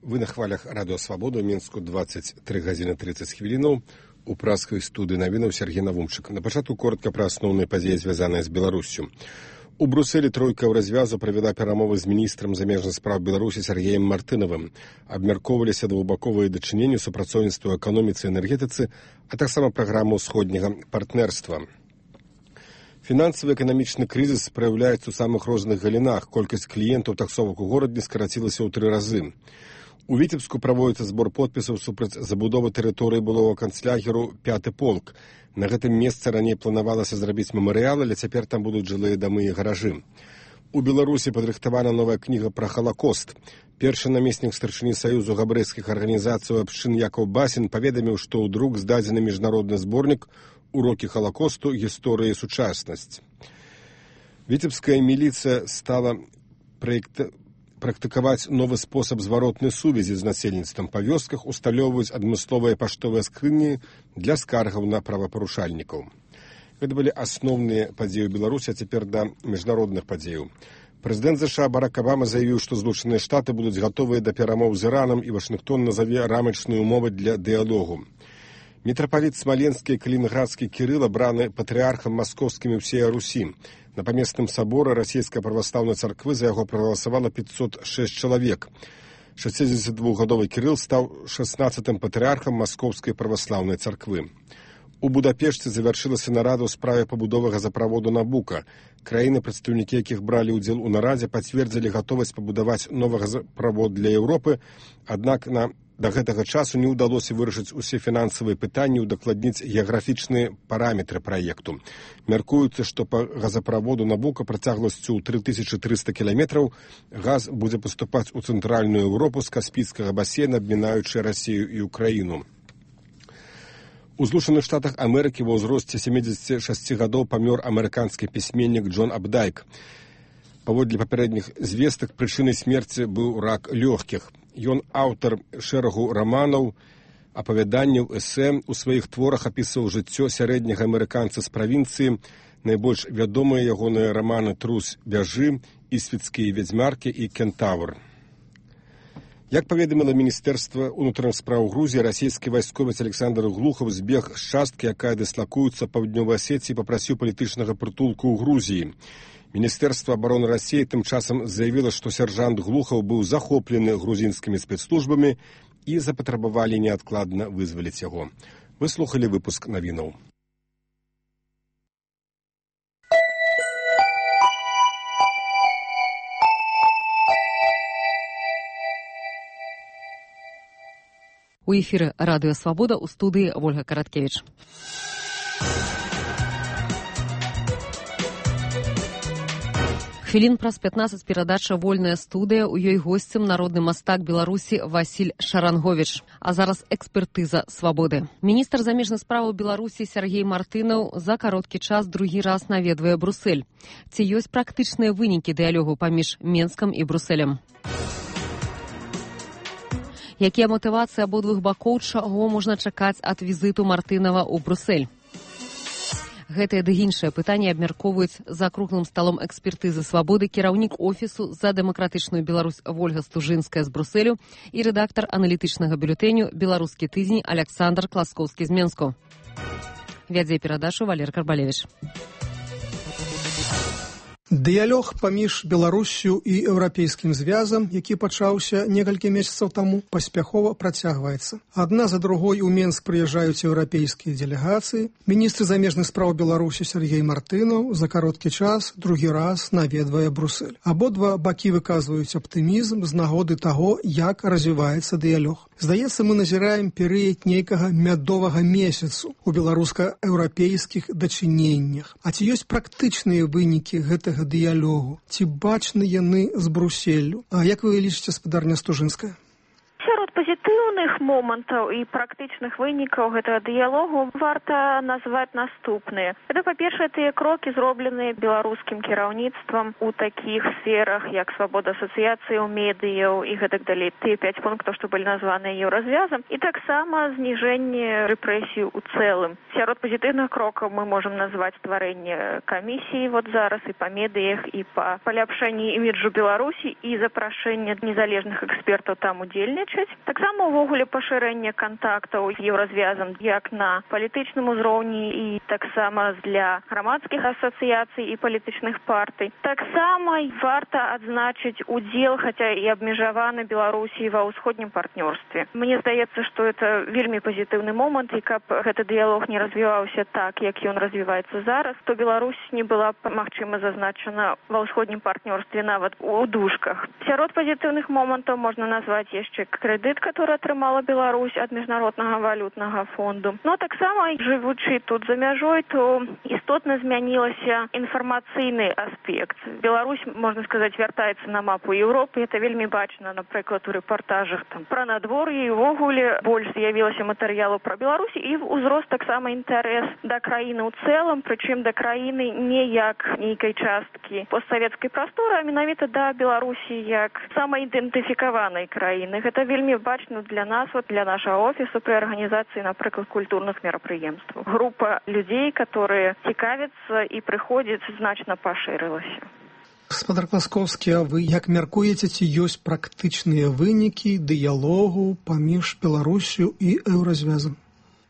S1: Вы на хвалях радыё «Свабода» ў Мінску 23 гадзіны 30 хвілінаў. У праскай студыі навінаў Сергей Навумчык. На пачатку коротка пра асноўныя падзеі, звязаныя з Беларуссю. У Брусэлі тройка ў развязу правяла перамовы з міністрам замежных спраў Беларусі Сергеем Мартынавым. Абмяркоўваліся двухбаковыя дачыненні, супрацоўніцтва ў эканоміцы і энергетыцы, а таксама праграму ўсходняга партнерства. Фінансава-эканамічны крызіс праяўляецца ў самых розных галінах. Колькасць кліентаў таксовак у горадзе скарацілася ў 3 разы. У Віцебску праводзіцца збор подпісаў супраць забудовы тэрыторыі былога канцлягеру 5-й полк. На гэтым месцы раней планавалася зрабіць мемарыял, але цяпер там будуць жылыя дамы і гаражы. У Беларусі падрыхтавана новая кніга пра Халакост. Першы намеснік старшыні Саюзу габрэйскіх арганізацый абшчын Якаў Басін паведаміў, што ў друк здадзены міжнародны зборнік «Урокі Халакосту. Гісторыя і сучаснасць». Віцебская міліцыя стала практыкаваць новы спосаб зваротнай сувязі з насельніцтвам. Па вёсках усталёўваюць адмысловыя паштовыя скрыні для скаргаў на правапарушальнікаў. Гэта былі асноўныя падзеі ў Беларусі, а цяпер да міжнародных падзеяў. Прэзідэнт США Барак Абама заявіў, што Злучаныя Штаты будуць гатовыя да перамоў з Іранам, і Вашынгтон назаве рамачныя ўмовы для дыялогу. Мітрапаліт Смаленскі і Калінінградскі Кірыл абраны патрыархам маскоўскім і ўсея Русі. На памесным саборы расійскай праваслаўнай царквы за яго прагаласавала 506 чалавек. 62-гадовы Кірыл стаў 16-м патрыархам маскоўскай праваслаўнай царквы. У Будапешце завяршылася нарада ў справе пабудовы газаправоду Набука. Краіны, прадстаўнікі якіх бралі ўдзел у нарадзе, пацвердзілі гатовасць пабудаваць новы газаправод для Еўропы, аднак да гэтага часу не ўдалося вырашыць усе фінансавыя пытанні, удакладніць геаграфічныя параметры праекту. Мяркуецца, што па газаправоду Набука працягласцю ў 3300 кіламетраў газ будзе паступаць у цэнтральную Еўропу з Каспійскага басейна, абмінаючы Расію і Украіну. У Злучаных Штатах Амерыкі ва ўзросце 76 гадоў памёр амерыканскі пісьменнік Джон Абдайк. Паводле папярэдніх звестак, прычынай смерці быў рак лёгкіх. Ён аўтар шэрагу раманаў, апавяданняў, эсэ. У сваіх творах апісваў жыццё сярэдняга амерыканца з правінцыі. Найбольш вядомыя ягоныя раманы «Трус бяжы», «Ісвіцкія вядзьмаркі» і «Кентавр». Як паведаміла Міністэрства ўнутраных спраў Грузіі, расійскі вайсковец Александр Глухаў збег з часткі, якая дыслакуецца паўднёвай Асеціі, і папрасіў палітычнага прытулку ў Грузіі. Міністэрства абароны Расіі тым часам заявіла, што сяржант Глухаў быў захоплены грузінскімі спецслужбамі і запатрабавалі неадкладна вызваліць яго. Вы слухалі выпуск навінаў.
S6: У эфіры радыё «Свабода», у студыі Вольга Караткевіч. Хвілін праз 15 перадача «Вольная студыя». У ёй госцем народны мастак Беларусі Васіль Шаранговіч. А зараз экспертыза «Свабоды». Міністр замежных спраў Беларусі Сергей Мартынаў за кароткі час другі раз наведвае Брусэль. Ці ёсць практычныя вынікі дыялогу паміж Менскам і Брусэлем? Якія матывацыі абодвух бакоў, чаго можна чакаць ад візіту Мартынава ў Брусэль? Гэтыя ды іншыя пытанні абмяркоўваюць за круглым сталом экспертызы «Свабоды» кіраўнік офісу за дэмакратычную Беларусь Вольга Стужынская з Брусэлю і рэдактар аналітычнага бюлетэню «Беларускі тыдзень» Александр Класкоўскі з Менску. Вядзе перадачу Валер Карбалевіч.
S14: Дыялог паміж Беларуссю і Еўрапейскім звязам, які пачаўся некалькі месяцаў таму, паспяхова працягваецца. Адна за другой у Менск прыязджаюць еўрапейскія дэлегацыі. Міністр замежных спраў Беларусі Сергей Мартынаў за кароткі час другі раз наведвае Брусэль. Абодва бакі выказваюць аптымізм з нагоды таго, як развіваецца дыялог. Здаецца, мы назіраем перыяд нейкага мядовага месяцу у беларуска-еўрапейскіх дачыненнях. А ці ёсць практычныя вынікі гэтага дыялогу? Ці бачны яны з Брусселлю? А як вы лічыце, спадарня Стужынская?
S15: Сярод пазітыўных момантаў і практычных вынікаў гэтага дыялогу варта назваць наступныя. Гэта, па-першае, тыя крокі, зробленыя беларускім кіраўніцтвам у такіх сферах, як свабода асацыяцыяў, медыяў і гэтак далей. Тыя 5 пунктаў, што былі названыя еўразвязам, і таксама зніжэнне рэпрэсій у цэлым. Сярод пазітыўных крокаў мы можам назваць стварэнне камісіі вот зараз і па медыях, і па паляпшэнні іміджу Беларусі, і запрашэнне незалежных экспертаў там удзельнічаць. Таксама увогуле пашырэнне кантактаў з еўразвязам як на палітычным узроўні і таксама для грамадскіх асацыяцый і палітычных партый. Таксама варта адзначыць удзел, хаця і абмежаваны Беларусі ва ўсходнім партнёрстве. Мне здаецца, што это вельмі пазітыўны момант, і каб гэты дыялог не развіваўся так, як ён развіваецца зараз, то Беларусь не была б, магчыма, зазначана ва ўсходнім партнёрстве нават у дужках. Сярод пазітыўных момантаў можна назваць яшчэ крэдыт, который атрымала Беларусь ад міжнароднага валютнага фонду. Но таксама, жывучы тут за мяжой, то істотна змянілася інфармацыйны аспект. Беларусь, можна сказаць, вяртаецца на мапу Еўропы. Это вельмі бачна, напрыклад, у рэпартажах пра надвор'е, і увогуле больш з'явілася матэрыялу пра Беларусь, і узрост таксама інтарэс да краіны ў цэлым, прычым да краіны не як нейкай часткі постсавецкай прасторы, а менавіта да Беларусі як самаідэнтыфікаванай краіны. Гэта вельмі бачна для нас, вот для нашего офису при организации, например, культурных мероприемств. Группа людей, которые цікавятся и приходят, значно поширилась.
S14: Гаспадар Класкоўскі, а вы як мяркуеце, ці ёсць практычныя вынікі дыялогу паміж Беларусю і Еўразвязам?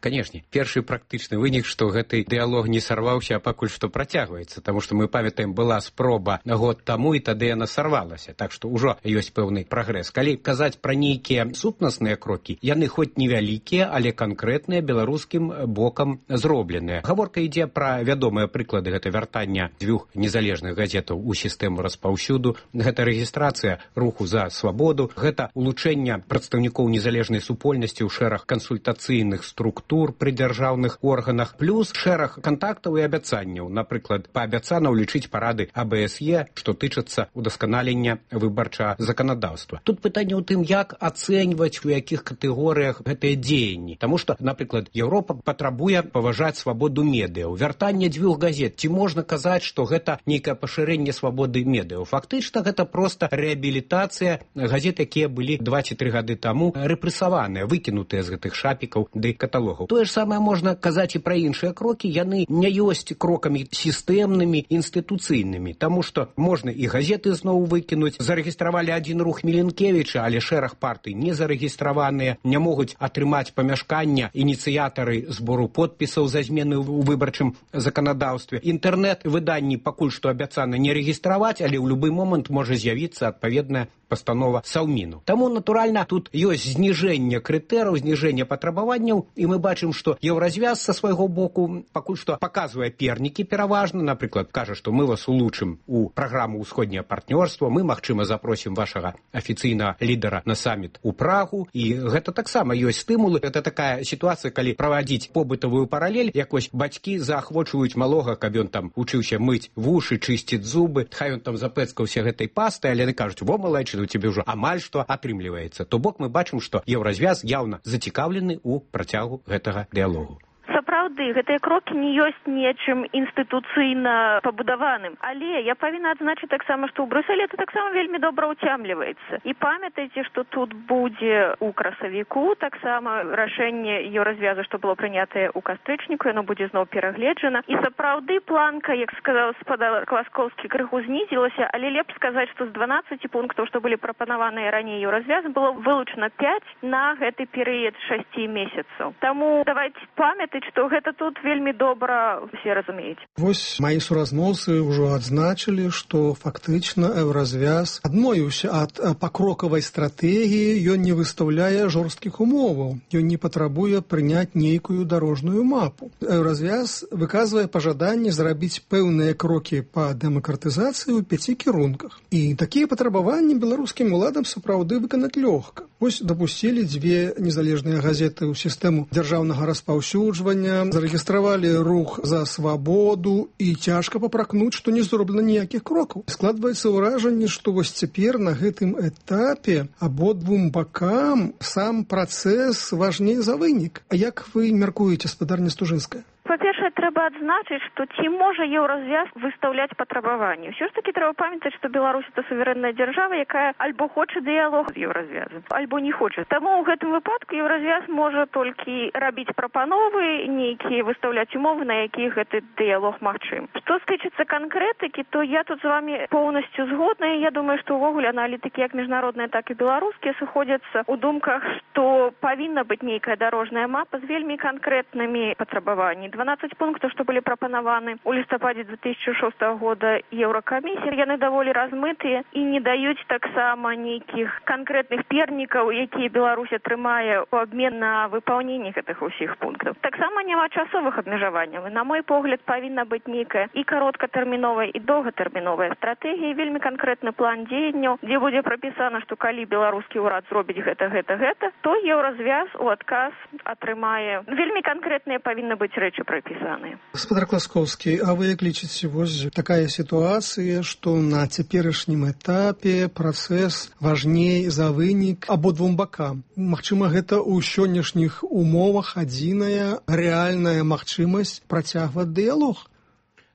S16: Канешне, першы практычны вынік, што гэты дыялог не сарваўся, а пакуль што працягваецца, таму што мы памятаем, была спроба год таму, і тады яна сарвалася, так што ўжо ёсць пэўны прагрэс. Калі казаць пра нейкія сутнасныя крокі, яны хоць невялікія, але канкрэтныя беларускім бокам зробленыя. Гаворка ідзе пра вядомыя прыклады, гэта вяртання 2 незалежных газетаў у сістэму распаўсюду, гэта рэгістрацыя руху за свабоду, гэта улучэнне прадстаўнікоў незалежнай супольнасці ў шэраг кансультацыйных структур пры дзяржаўных органах, плюс шэраг кантактаў і абяцанняў, напрыклад, паабяцана ўлічыць парады АБСЕ, што тычацца удасканалення выбарчага заканадаўства. Тут пытанне ў тым, як ацэньваць, у якіх катэгорыях гэтыя дзеянні. Таму што, напрыклад, Еўропа патрабуе паважаць свабоду медыяў. Вяртанне 2 газет. Ці можна казаць, што гэта нейкае пашырэнне свабоды медыяў? Фактычна, гэта проста рэабілітацыя газет, якія былі 2 ці 3 гады таму рэпрэсаваныя, выкінутыя з гэтых шапікаў ды каталогаў. Тое ж самае можна казаць і пра іншыя крокі, яны не ёсць крокамі сістэмнымі, інстытуцыйнымі, таму што можна і газеты зноў выкінуць. Зарэгістравалі адзін рух Міленкевіча, але шэраг партый не зарэгістраваныя, не могуць атрымаць памяшкання ініцыятары збору подпісаў за змены ў выбарчым заканадаўстве. Інтэрнэт-выданні пакуль што абяцана не рэгістраваць, але ў любы момант можа з'явіцца адпаведная пастанова Саўміну. Таму, натуральна, тут ёсць зніжэнне крытэраў, зніжэнне патрабаванняў, і мы бачым, што Еўразвяз са свайго боку пакуль што паказвае пернікі пераважна, напрыклад, кажа, што мы вас улучшым у праграму ўсходняе партнёрства, мы, магчыма, запросім вашага афіцыйнага лідара на саміт у Прагу, і гэта таксама ёсць стымулы. Гэта такая сітуацыя, калі правадзіць побытавую паралель, якось бацькі заахвочваюць малога, каб ён там учыўся мыць вушы, чысціць зубы, хай ён там запэцкаўся гэтай пастай, але яны кажуць: во, малайчык, у тебе ўжо амаль што атрымліваецца. То бок мы бачым, што Еўразвяз яўна зацікаўлены ў працягу гэтага дыялогу.
S15: Сапраўды, гэтыя крокі не ёсць нечым інстытуцыйна пабудаваным. Але я павінна адзначыць таксама, што ў Брюсселі это таксама вельмі добра ўцямліваецца. І памятайце, што тут будзе ў красавіку таксама рашэнне Еўразвязу, што было прынятае ў кастрычніку, яно будзе зноў перагледжана. І сапраўды планка, як сказаў гаспадар Класкоўскі, крыху знізілася, але лепш сказаць, што з 12 пунктаў, што былі прапанаваныя раней Еўразвязам, было вылучана 5 на гэты перыяд 6 месяцаў. Таму давайте памятаць, што гэта тут вельмі добра все разумеюць.
S14: Вось мои суразмоўцы ўжо адзначылі, што фактычна еўразвяз адмовіўся ад пакрокавай стратэгіі, ён не выстаўляе жорсткіх умоваў, ён не патрабуе прыняць нейкую дарожную мапу. Еўразвяз выказвае пажаданне зрабіць пэўныя крокі па дэмакратызацыі ў 5 кірунках. І такія патрабаванні беларускім уладам сапраўды выканаць лёгка. Вось дапусцілі 2 незалежныя газеты ў сістэму дзяржаўнага распаўсюджвання, зарэгістравалі рух за свабоду і цяжка папракнуць, што не зроблена ніякіх крокаў. Складваецца ўражанне, што вось цяпер на гэтым этапе абодвум бакам сам працэс важней за вынік. А як вы мяркуеце, спадарня Стужынская?
S15: Па-першае, трэба адзначыць, што ці можа еўразвяз выстаўляць патрабаванні. Усё ж такі трэба памятаць, што Беларусь – это суверэнная дзяржава, якая альбо хоча дыялог з еўразвязам, альбо не хоча. Таму ў гэтым выпадку еўразвяз можа толькі рабіць прапановы, нейкія выстаўляць умовы, на якіх гэты дыялог магчым. Што тычыцца канкрэтыкі, то я тут з вами поўнасцю згодна. Я думаю, што ўвогуле аналітыкі як міжнародныя, так і беларускія сыходзяцца ў думках, што павінна быць нейкая дарожная мапа з вельмі канкрэтнымі патрабаваннямі. 12 пунктаў, што былі прапанаваны ў лістападзе 2006 года Еўракамісіі, яны даволі размытыя і не даюць таксама нейкіх канкрэтных пернікаў, якія Беларусь атрымае ў абмен на выпаўненне гэтых усіх пунктаў. Таксама няма часовых абмежаванняў. На мой погляд, павінна быць нейкая і кароткатэрміновая, і доўгатэрміновая стратэгія, вельмі канкрэтны план дзеянняў, дзе будзе прапісана, што калі беларускі ўрад зробіць гэта, то еўразвяз у адказ атрымае. Вельмі канкрэтныя павінны быць рэчы прапісаныя.
S14: Гаспадар Класкоўскі, а вы як лічыце, вось такая сітуацыя, што на цяперашнім этапе працэс важней за вынік абодвум бакам. Магчыма, гэта ў сённяшніх умовах адзіная рэальная магчымасць працягваць дыялог?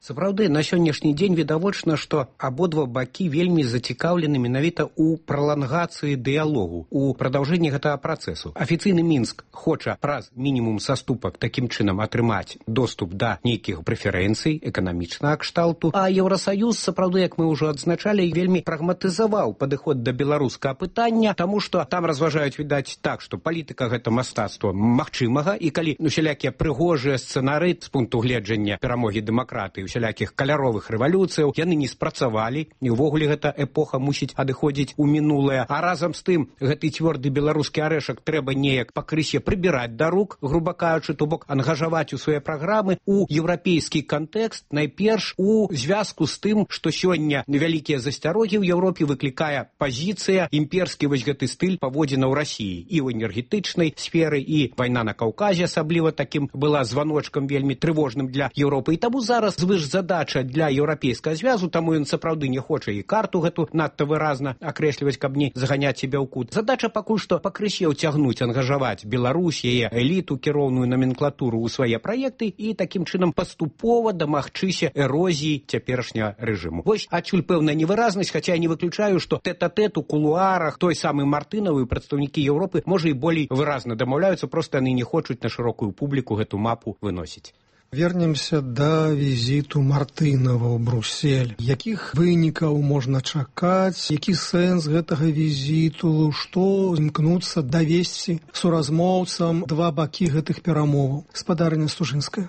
S16: Сапраўды, на сённяшні дзень відавочна, што абодва бакі вельмі зацікаўлены менавіта ў пралангацыі дыялогу, у прадаўжэнні гэтага працэсу. Афіцыйны Мінск хоча праз мінімум саступак такім чынам атрымаць доступ да нейкіх прэферэнцый эканамічнага кшталту, а Еўрасаюз, сапраўды, як мы ўжо адзначалі, вельмі прагматызаваў падыход да беларускага пытання, таму што там разважаюць, відаць, так, што палітыка гэта мастацтва магчымага, і калі усялякія прыгожыя сцэнары з пункту гледжання перамогі дэмакратыі, усялякіх каляровых рэвалюцыяў, яны не спрацавалі, і ўвогуле гэта эпоха мусіць адыходзіць у мінулае. А разам з тым, гэты цвёрды беларускі арэшак трэба неяк пакрысе прыбіраць да рук, груба кажучы, то бок ангажаваць у свае праграмы у еўрапейскі кантэкст, найперш у звязку з тым, што сёння вялікія засцярогі ў Еўропе выклікае пазіцыя, імперскі вось гэты стыль паводзіна ў Расіі і ў энергетычнай сферы, і вайна на Каўказе асабліва такім была званочкам вельмі трывожным для Еўропы. І таму зараз задача для еўрапейскага звязу, таму ён сапраўды не хоча і карту гэту надта выразна акрэсліваць, каб не заганяць сябе ў кут. Задача пакуль што пакрысе ўцягнуць, ангажаваць Беларусь, яе эліту, кіроўную номенклатуру ў свае праекты і такім чынам паступова дамагчыся эрозіі цяперашняга рэжыму. Вось адсюль пэўная невыразнасць, хаця я не выключаю, што тэт-а-тэт у кулуарах той самы Мартынавы, прадстаўнікі Еўропы, можа і болей выразна дамаўляюцца, проста яны не хочуць на шырокую публіку гэту мапу выносіць.
S14: Вернемся да візіту Мартынава ў Бруссель. Якіх вынікаў можна чакаць? Які сэнс гэтага візіту? Што імкнуцца давесці суразмоўцам два бакі гэтых перамоваў? Спадарня Стужынская.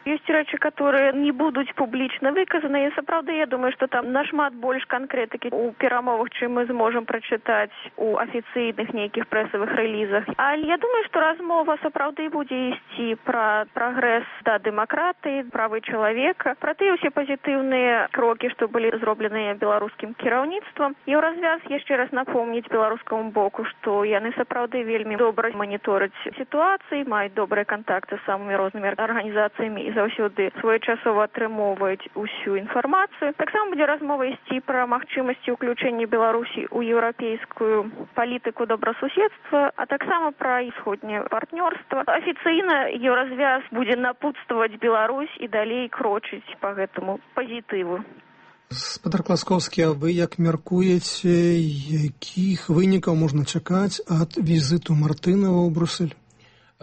S15: Ёсць рэчы, которые не будуць публічна выказаны, і сапраўды, я думаю, што там нашмат больш канкрэтыкі ў перамовах, чым мы зможам прачытаць у афіцыйных нейкіх прэсавых рэлізах. Але я думаю, што размова сапраўды будзе ісці пра прагрэс да дэмакратыі, правы чалавека, пра тыя ўсе пазітыўныя крокі, што былі зробленыя беларускім кіраўніцтвам. Еўразвяз яшчэ раз напомніць беларускаму боку, што яны сапраўды вельмі добра манітораць сітуацыі, маюць добрыя кантакты з самымі рознымі арганізацыямі і заўсёды своечасова атрымоўваюць усю інфармацыю. Таксама будзе размова ісці пра магчымасці ўключэння Беларусі ў еўрапейскую палітыку добрасуседства, а таксама пра усходняе партнёрства. Афіцыйна еўразвяз будзе напутстваваць Беларусь і далей крочыць па гэтаму пазітыву.
S14: Спадар Класкоўскі, а вы як мяркуеце, якіх вынікаў можна чакаць ад візіту Мартынава ў Бруссель?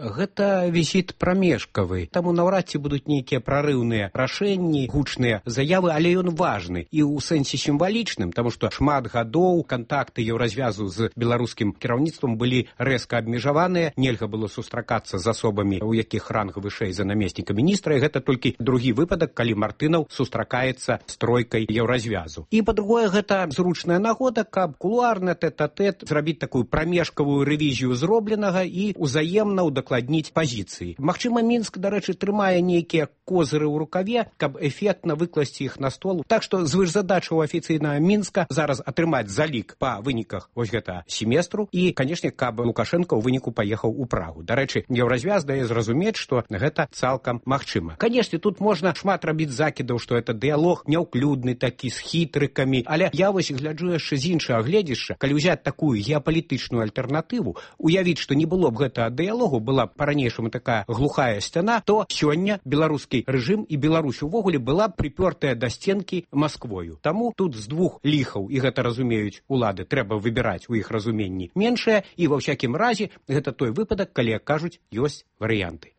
S16: Гэта візіт прамежкавы, таму наўрад ці будуць нейкія прарыўныя рашэнні, гучныя заявы, але ён важны і ў сэнсе сімвалічным, таму што шмат гадоў кантакты еўразвязу з беларускім кіраўніцтвам былі рэзка абмежаваныя, нельга было сустракацца з асобамі, у якіх ранг вышэй за намесніка міністра, і гэта толькі другі выпадак, калі Мартынаў сустракаецца з тройкай еўразвязу. І па-другое, гэта зручная нагода, каб кулуарна тэт-а-тэт зрабіць такую прамежкавую рэвізію зробленага і ўзаемна удакладніць пазіцыі. Магчыма, Мінск, дарэчы, трымае нейкія козыры ў рукаве, каб эфектна выкласці іх на стол. Так што звышзадача ў афіцыйнага Мінска зараз атрымаць залік па выніках вось гэта семестру і, канешне, каб Лукашенко ў выніку паехаў у Прагу. Дарэчы, еўразвяз дае зразумець, што гэта цалкам магчыма. Канешне, тут можна шмат рабіць закідаў, што это дыялог няўклюдны такі, з хітрыкамі, але я вось гляджу яшчэ з іншага гледзяшча, калі ўзяць такую геапалітычную альтэрнатыву, уявіць, што не было б гэтага дыялогу, была б па-ранейшаму такая глухая сцяна, то сёння беларускі рэжым і Беларусь увогуле была б припёртая да сценкі Масквою. Таму тут з двух ліхаў, і гэта разумеюць улады, трэба выбіраць у іх разуменні меншае, і ва ўсякім разе гэта той выпадак, калі, як кажуць, ёсць варыянты.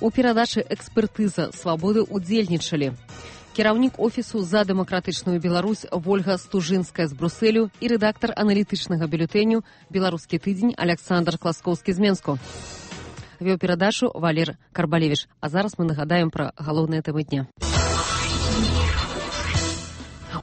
S6: У перадачы «Экспертыза свабоды» удзельнічалі кіраўнік офісу «За дэмакратычную Беларусь» Вольга Стужынская з Брусэлю і рэдактар аналітычнага бюлетэню «Беларускі тыдзень» Александр Класкоўскі з Менску. Вёў перадачу Валер Карбалевіч. А зараз мы нагадаем пра галоўныя тэмы дня.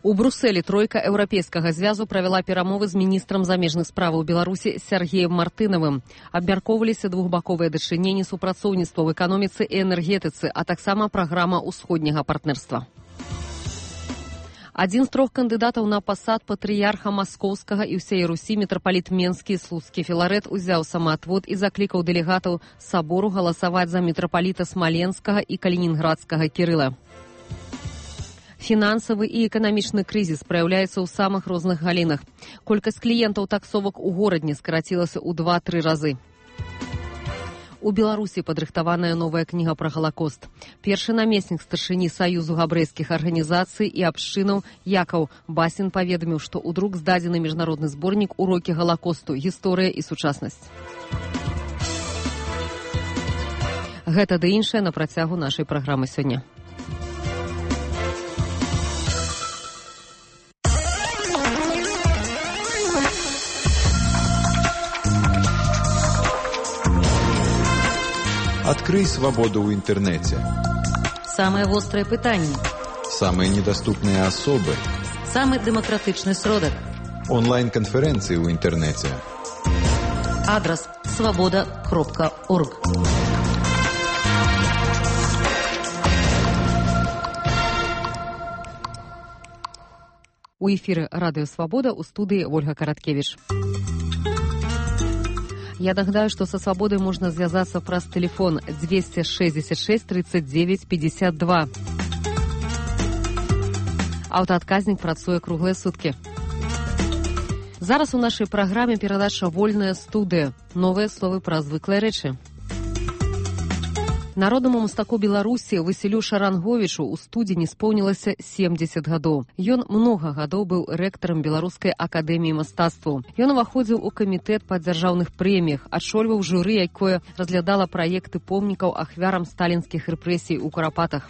S6: У Брусэлі тройка еўрапейскага звязу правяла перамовы з міністрам замежных справаў Беларусі Сергеем Мартынавым. Абмяркоўваліся двухбаковыя дачыненні, супрацоўніцтва ў эканоміцы і энергетыцы, а таксама праграма ўсходняга партнерства. Адзін з трох кандыдатаў на пасад патрыярха Маскоўскага і ўсей Русі мітрапаліт Менскі Слуцкі Філарет узяў самаатвод і заклікаў дэлегатаў сабору галасаваць за мітрапаліта Смаленскага і Калінінградскага Кірыла. Фінансавы і эканамічны крызіс праяўляецца ў самых розных галінах. Колькасць кліентаў таксовак у горадні скарацілася ў 2-3 разы. У Беларусі падрыхтаваная новая кніга пра Галакост. Першы намеснік старшыні Саюзу габрэйскіх арганізацый і абшчынаў Якаў Басін паведаміў, што ў друк здадзены міжнародны зборнік «Урокі Галакосту. Гісторыя і сучаснасць». Гэта ды іншае на працягу нашай праграмы сёння.
S2: Открой свободу в интернете.
S4: Самые острые пытания.
S2: Самые недоступные особы.
S4: Самый демократичный сродок.
S2: Онлайн-конференции в интернете.
S4: Адрес svoboda.org.
S6: У эфіры радыё «Свабода», у студыі Ольга Караткевіч. Я нагадаю, што са «Свабодай» можна звязацца праз тэлефон 266 39 52. Аўтаадказнік працуе круглыя суткі. Зараз у нашай праграме перадача «Вольная студыя». Новыя словы пра звыклыя рэчы. Народнаму мастаку Беларусі Васілю Шаранговічу ў студзені споўнілася 70 гадоў. Ён многа гадоў быў рэктарам Беларускай акадэміі мастацтваў. Ён уваходзіў у камітэт па дзяржаўных прэміях, адшольваў журы, якое разглядала праекты помнікаў ахвярам сталінскіх рэпрэсій у Курапатах.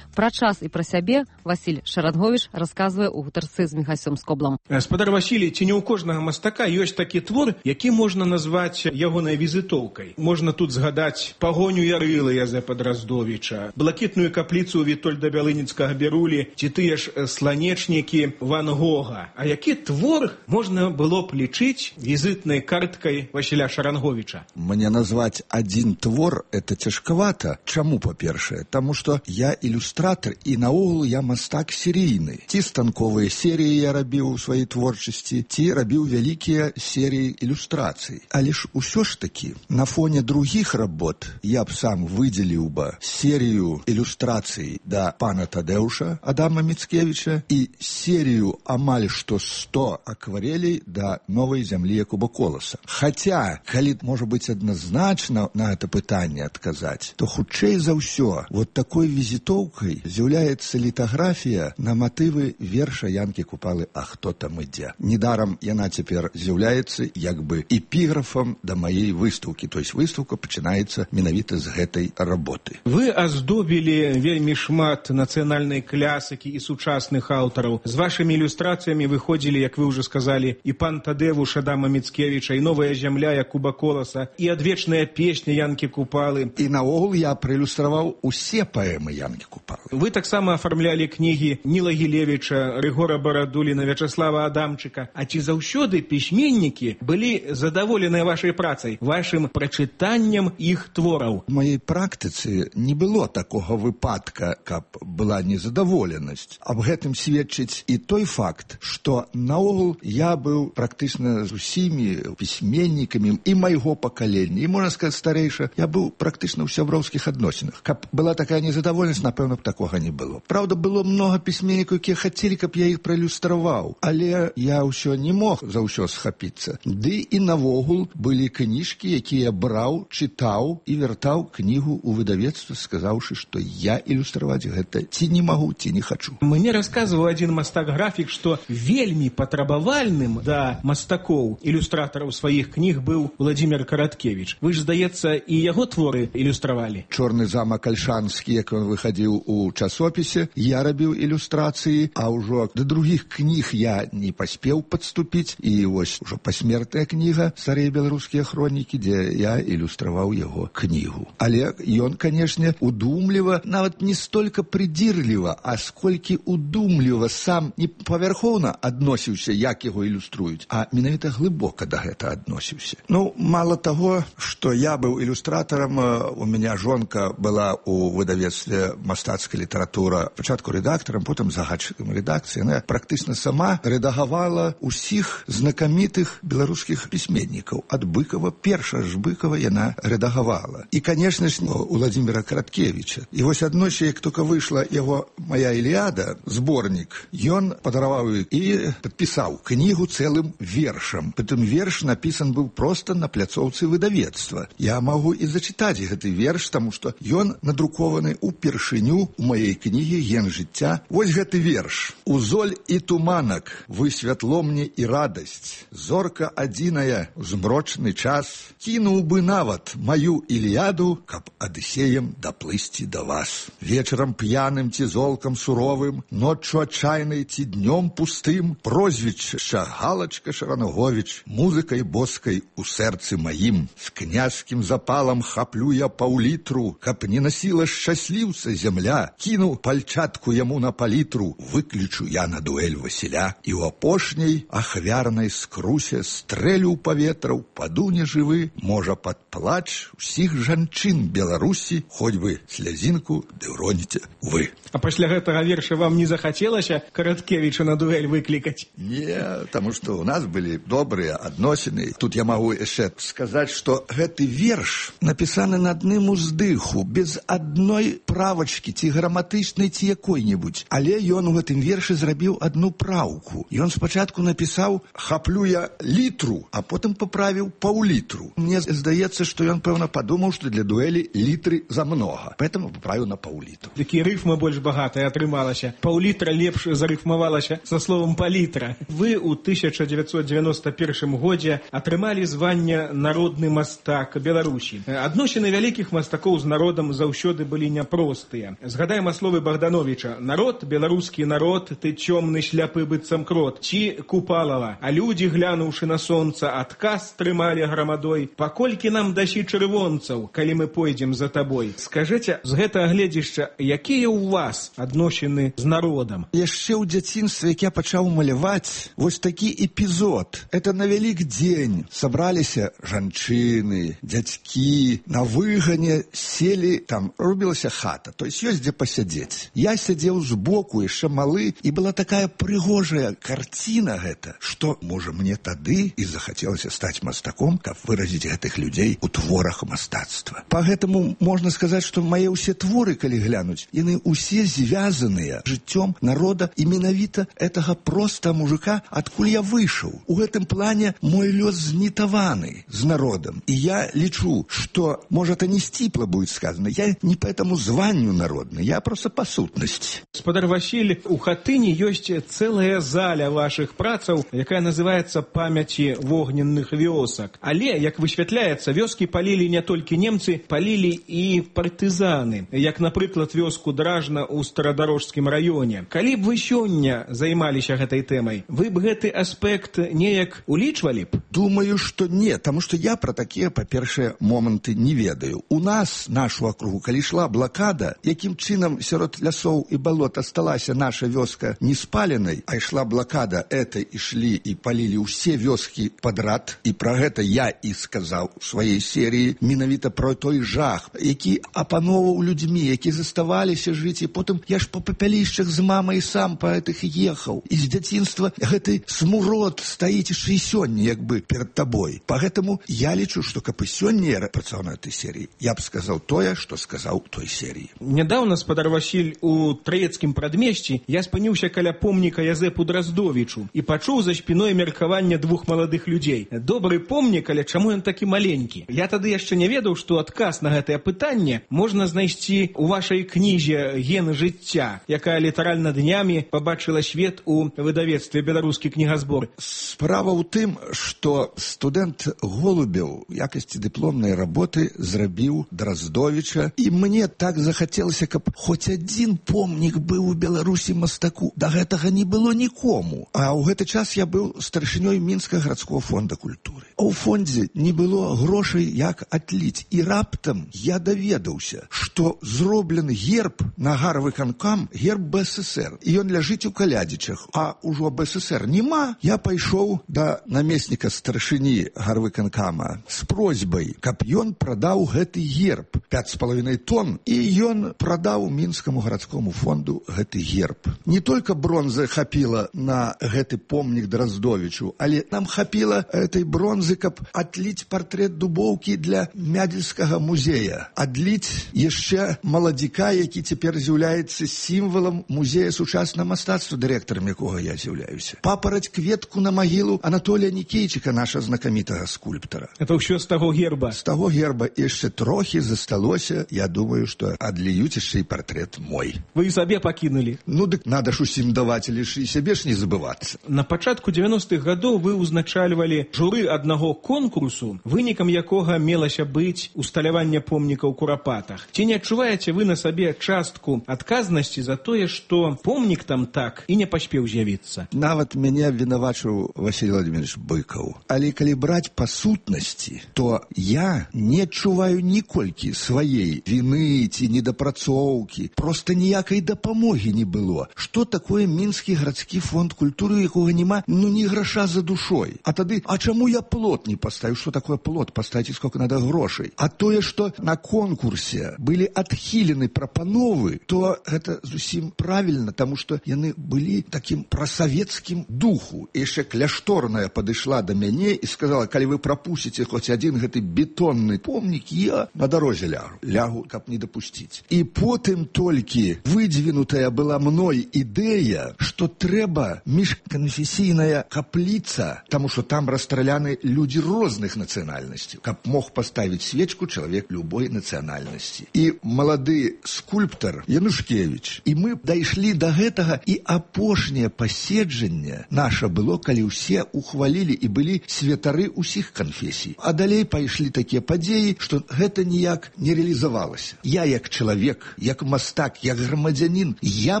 S6: Пра час і пра сябе Васіль Шаранговіч расказвае ў гутарцы з Міхасём Скоблам.
S17: Спадар Васілій, ці не ў кожнага мастака ёсць такі твор, які можна назваць ягонай візітоўкай. Можна тут згадаць пагоню Ярылы Язэпа Драздовіча, блакітную капліцу Вітольда Бялыніцкага Берулі, ці тыя ж сланечнікі Ван Гога. А які твор можна было б лічыць візітнай карткай Васіля Шаранговіча?
S18: Мне назваць адзін твор это цяжкавата. Чаму, па-першае? Таму што я ілюстратар і наогул я мастак серійны. Ці станковыя серыі я рабіў у сваёй творчасці, ці рабіў вялікія серыі ілюстрацый. Але ж усё ж такі, на фоне другіх работ я б сам выдзеліў бы серыю ілюстрацый да пана Тадэуша Адама Міцкевіча і серыю амаль што 100 акварелей да новай зямлі Якуба Коласа. Хаця, калі можа быць адназначна на гэта пытанне адказаць, то хутчэй за ўсё, вот такой візітоўкай кнігай з'яўляецца літаграфія на матывы верша Янкі Купалы «А хто там ідзе?». Недарам яна цяпер з'яўляецца як бы эпіграфам да маей выстаўкі, то есть выстаўка пачынаецца менавіта з гэтай работы.
S17: Вы аздобілі вельмі шмат нацыянальнай клясыкі і сучасных аўтараў. З вашымі ілюстрацыямі выходзілі, як вы ўжо сказалі, і пан Тадэвуш Адама Міцкевіча, і новая зямля Якуба Коласа, і адвечная песня Янкі Купалы.
S18: І наогул я праілюстраваў усе паэмы Янкі Купалы.
S17: Вы таксама афармлялі кнігі Ніла Гілевіча, Рыгора Барадуліна, Вячаслава Адамчыка. А ці заўсёды пісьменнікі былі задаволеныя вашай працай, вашым прачытаннем іх твораў?
S18: У маёй практыцы не было такога выпадка, каб была незадаволенасць. Аб гэтым сведчыць і той факт, што наогул я быў практычна з усімі пісьменнікамі і майго пакалення, і, можна сказаць, старэйша, я быў практычна ў сяброўскіх адносінах. Каб была такая незадаволенасць, напэўна, б такога не было. Праўда, было многа пісьменнікаў, якія хацелі, каб я іх праілюстраваў, але я ўсё не мог за ўсё схапіцца. Ды і навогул былі кніжкі, якія браў, чытаў і вяртаў кнігу ў выдавецтва, сказаўшы, што я ілюстраваць гэта ці не магу, ці не хачу.
S17: Мне расказваў адзін мастак-графік, што вельмі патрабавальным да мастакоў, ілюстратараў сваіх кніг быў Владзімір Караткевіч. Вы ж, здаецца, і яго творы ілюстравалі.
S18: «Чорны замак Альшанскі», як ён выхадзіў у часопісе, я рабіў ілюстрацыі, а ўжо да другіх кніг я не паспеў падступіць, і вось ужо пасмертная кніга «Старыя беларускія хронікі», дзе я ілюстраваў яго кнігу. Але ён, канешне, удумліва, нават не столькі прыдзірліва, а сколькі удумліва сам не павярхоўна адносіўся, як яго ілюструюць, а менавіта глыбока да гэта адносіўся. Ну, мала таго, што я быў ілюстратарам, у мяне жонка была у выдавецтве «Мастацкая літаратура», пачатку рэдактарам, потым загадчыкам рэдакцыі. Яна практычна сама рэдагавала ўсіх знакамітых беларускіх пісьменнікаў. Ад Быкова, перша ж Быкова яна рэдагавала. І, канешне ж, у Владзіміра Караткевіча. І вось аднойчы, як толькі выйшла яго «Моя Іліада», зборнік, ён падараваў і падпісаў кнігу цэлым вершам. Прытым верш напісан быў проста на пляцоўцы выдавецтва. Я магу і зачытаць гэты верш, таму што ён надрукованы ўпершыню у маёй кнігі «Ген жыцця». Вось гэты верш. «Узоль і туманак, вы святло мне і радасць. Зорка адзіная, змрочны час. Кінуў бы нават маю Іліяду, каб Адысеем даплысці да вас. Вечарам п'яным ці золкам суровым, ноччу адчайнай ці днём пустым, прозвішча Галачка Шараноговіч, музыкай боскай у сэрцы маім. З князькім запалам хаплю я паўлітру, каб не насіла шчасліўца зямля. Кіну пальчатку яму на палітру, выключу я на дуэль Васіля. І ў апошняй ахвярнай скрусе стрэлю ў паветра, упаду нежывы, можа пад плач усіх жанчын Беларусі, хоць бы слязінку ды ўроніце вы».
S17: А пасля гэтага верша вам не захацелася Караткевіча на дуэль выклікаць?
S18: Не, таму што ў нас былі добрыя адносіны. Тут я магу яшчэ сказаць, што гэты верш напісаны на адным уздыху, без адной правачкі, ці граматычнай, ці якой-небудзь. Але ён у гэтым вершы зрабіў адну праўку. Ён спачатку напісаў «хаплю я літру», а потым паправіў паўлітру. Мне здаецца, што ён, пэўна, падумаў, што для дуэлі літры замнога. Поэтому паправіў на паўлітру.
S17: Такі рыфма больш багатая атрымалася. Паўлітра лепш зарыфмавалася са словам палітра. Вы ў 1991 годзе атрымалі званне «Народны мастак Беларусі». Адносіны вялікіх мастакоў з народам заўсёды былі няпростыя. Згадаем словы Богдановича: «Народ, беларускі народ, ты цёмны шляпы быццам крот». Ці Купалава: «А людзі, глянуўшы на сонца, адказ трымалі грамадой. Паколькі нам дасі чырвонцаў, калі мы пойдзем за табой». Скажыце, з гэтага гледзішча, якія ў вас адносіны з народам?
S18: Яшчэ ў дзяцінстве, як я пачаў маляваць, вось такі эпізод. Это на вялік дзень сабраліся жанчыны, дзядзькі, на выгане селі, там рубілася хата, то есть ёсць дзе пасядзець. Я сядзеў збоку, яшчэ малы, і была такая прыгожая карціна гэта, што, можа, мне тады і захацелася стаць мастаком, каб выразіць гэтых людзей у творах мастацтва. Па гэтаму можна сказаць, што мае ўсе творы, калі глянуць, яны ўсе звязаныя жыццём народа і менавіта гэтага проста мужика, адкуль я выйшаў. У гэтым плане мой лёс знітаваны з народам. І я лічу, што, можа, это не сціпла будет сказано, я не по этому званню народны, серыйны, я просто па сутнасці.
S17: Спадар Васіль, у хатыні ёсць цэлая заля вашых працаў, якая называецца «Памяці вогненных вёсак». Але, як высвятляецца, вёскі палілі не толькі немцы, палілі і партызаны, як, напрыклад, вёску Дражна ў Старадарожскім раёне. Калі б вы сёння займаліся гэтай тэмай, вы б гэты аспект неяк улічвалі б?
S18: Думаю, што не, таму што я пра такія, па-першае, моманты не ведаю. У нас, нашу акругу, калі ішла блакада, якім чынам сярод лясоў і балот асталася наша вёска не спаленай, а ішла блакада, это ішлі і палілі ўсе вёскі падрад, і пра гэта я і сказаў у сваёй серыі, менавіта пра той жах, які апановаў людзьмі, які заставаліся жыць, і потым я ж па папялішчах з мамай сам па гэтых ехаў. І з дзяцінства гэты смурод стаіць яшчэ і сёння, як бы перад табой. Пагэтаму я лічу, што каб і сёння я працаваў на этой серыі, я б сказаў тое, што сказаў у той серыі.
S17: Нядаўна, спадар Васіль, у Траецкім прадмесці я спыніўся каля помніка Язэпу Драздовічу і пачуў за спіной меркаванне двух маладых людзей. Добры помнік, але чаму ён такі маленькі? Я тады яшчэ не ведаў, што адказ на гэтае пытанне можна знайсці ў вашай кнізе «Гены жыцця», якая літаральна днямі пабачыла свет у выдавецтве «Беларускі кнігазбор».
S18: Справа ў тым, што студэнт Голубеў у якасці дыпломнай работы зрабіў Драздовіча, і мне так захацелася, каб хоць адзін помнік быў у Беларусі мастаку. Да гэтага не было нікому. А ў гэты час я быў старшынёй Мінскага гарадскога фонда культуры. А ў фондзе не было грошай, як адліць. І раптам я даведаўся, што зроблены герб на гарвыканкам, герб БССР. І ён ляжыць у Калядзічах. А ўжо БССР няма. Я пайшоў да намесніка старшыні гарвыканкама з просьбай, каб ён прадаў гэты герб 5,5 тонн, і ён прадаў Мінскаму гарадскому фонду гэты герб. Не толькі бронзы хапіла на гэты помнік Драздовічу, але нам хапіла этой бронзы, каб адліць партрэт Дубоўкі для Мядзельскага музея. Адліць яшчэ маладзіка, які цяпер з'яўляецца сімвалам музея сучаснага мастацтва, дырэктарам якога я з'яўляюся. Папараць кветку на магілу Анатолія Нікейчыка, наша знакамітага скульптара.
S17: Это ўсё з таго герба?
S18: З таго герба яшчэ трохі засталося. Я думаю, што адліюць яшчэ і партрэт мой.
S17: Вы і сабе пакінулі?
S18: Ну, дык надо ж усім даваць, але ж і сябе ж не забывацца.
S17: На пачатку 90-х гадоў вы ўзначальвалі журы аднаго конкурсу, вынікам якога мелася быць усталяванне помніка ў Курапатах. Ці не адчуваеце вы на сабе частку адказнасці за тое, што помнік там так і не паспеў з'явіцца?
S18: Нават мяне вінавачыў Васіль Владимирович Быкаў. Але калі браць па сутнасці, то я не адчуваю ніколькі сваей віны ці недапрацоўкі. Проста ніякай дапамогі не было. Што такое Мінскі гарадскі фонд культуры, якога няма, ну, ні граша за душой. А тады, а чаму я плот не паставіў? Што такое плот? Паставіць, сколько надо грошай. А тое, што на конкурсе былі адхілены прапановы, то гэта зусім правільна, таму што яны былі такім прасавецкім духу. І яшчэ кляшторная падышла да мяне і сказала, калі вы прапусціце хоць адзін гэты бетонны помнік, я на дарозе лягу, каб не дапусціць. І потым толькі выдвинутая была мной ідэя, што трэба міжканфесійная капліца, таму што там расстраляны людзі розных нацыянальнасцей, каб мог паставіць свечку чалавек любой нацыянальнасці. І малады скульптар Янушкевіч. І мы дайшлі да гэтага, і апошняе паседжанне наша было, калі ўсе ухвалілі і былі святары ўсіх канфесій. А далей пайшлі такія падзеі, што гэта ніяк не рэалізавалася. Я як чалавек, як мастак, як грамадзянін, я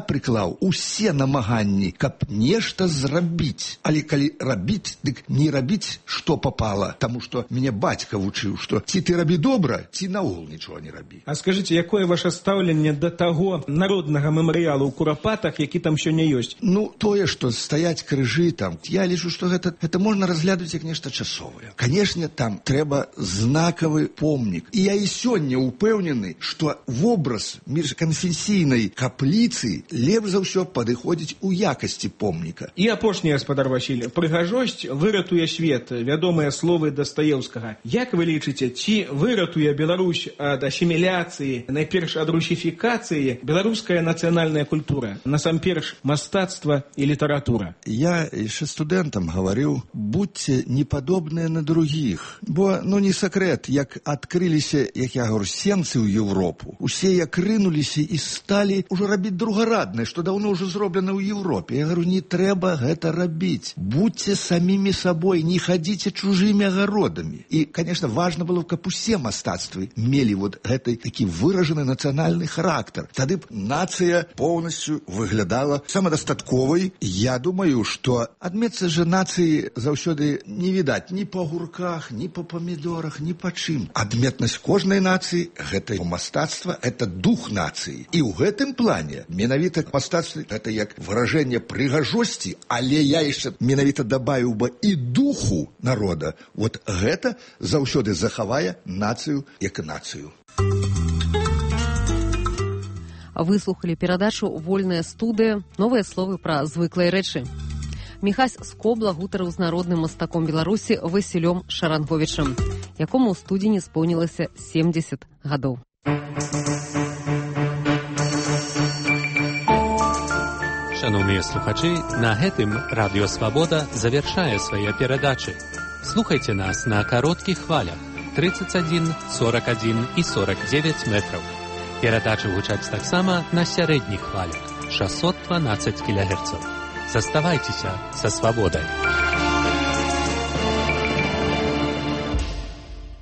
S18: прыклаў усе намаганні, каб нешта зрабіць. Але калі рабіць, дык не рабіць, што папала, таму што мяне бацька вучыў, што ці ты рабі добра, ці наогул нічога не рабі.
S17: А скажыце, якое ваше стаўленне да таго народнага мемарыялу ў Курапатах, які там сёння ёсць?
S18: Ну, тое, што стаяць крыжы там, я лічу, што гэта можна разглядаць як нешта часовае. Канешне, там трэба знакавы помнік. І я і сёння упэўнены, што вобраз міжканфесійнай капліцы лепш за ўсё падыходзіць у якасці помніка.
S17: І апошняе, спадар Васіль, прыгажосць выратуе свет, вядомыя словы Дастаеўскага. Як вы лічыце, ці выратуе Беларусь ад асіміляцыі, найперш ад русіфікацыі, беларуская нацыянальная культура, насамперш мастацтва і літаратура?
S18: Я яшчэ студэнтам гаварыў, будьце не падобныя на другіх. Бо, ну, не сакрэт, як адкрыліся, як я гавару, сенцы ў Европу. Усе як рынулі кінуліся і сталі ўжо рабіць другараднае, што даўно ўжо зроблена ў Еўропе. Я говорю, не трэба гэта рабіць. Будьце самімі сабой, не хадзіце чужымі агародамі. І, конечно, важна было, каб усе мастацтвы мелі вот гэты такі выражаны нацыянальны характар. Тады б нацыя поўнасцю выглядала самадастатковай. Я думаю, што адметцы же нацыі заўсёды не відаць ні па гурках, ні па памідорах, ні па чым. Адметнасць кожнай нацыі – гэта мастацтва, это дух нацыі. І ў гэтым плане менавіта мастацтва – гэта як выражэнне прыгажосці, але я яшчэ менавіта дабавіў бы і духу народа. Вот гэта заўсёды захавае нацыю як нацыю.
S6: Выслухалі перадачу «Вольная студыя. Новыя словы пра звыклыя рэчы». Міхась Скобла гутарыў з народным мастаком Беларусі Васілём Шаранговічам, якому ў студзені споўнілася 70 гадоў.
S7: Шановныя слухачы, на гэтым Радыё Свабода завяршае свае перадачы. Слухайце нас на кароткіх хвалях 31, 41 і 49 метраў. Перадачы гучаць таксама на сярэдніх хвалях 612 кГц. Заставайцеся са свабодай.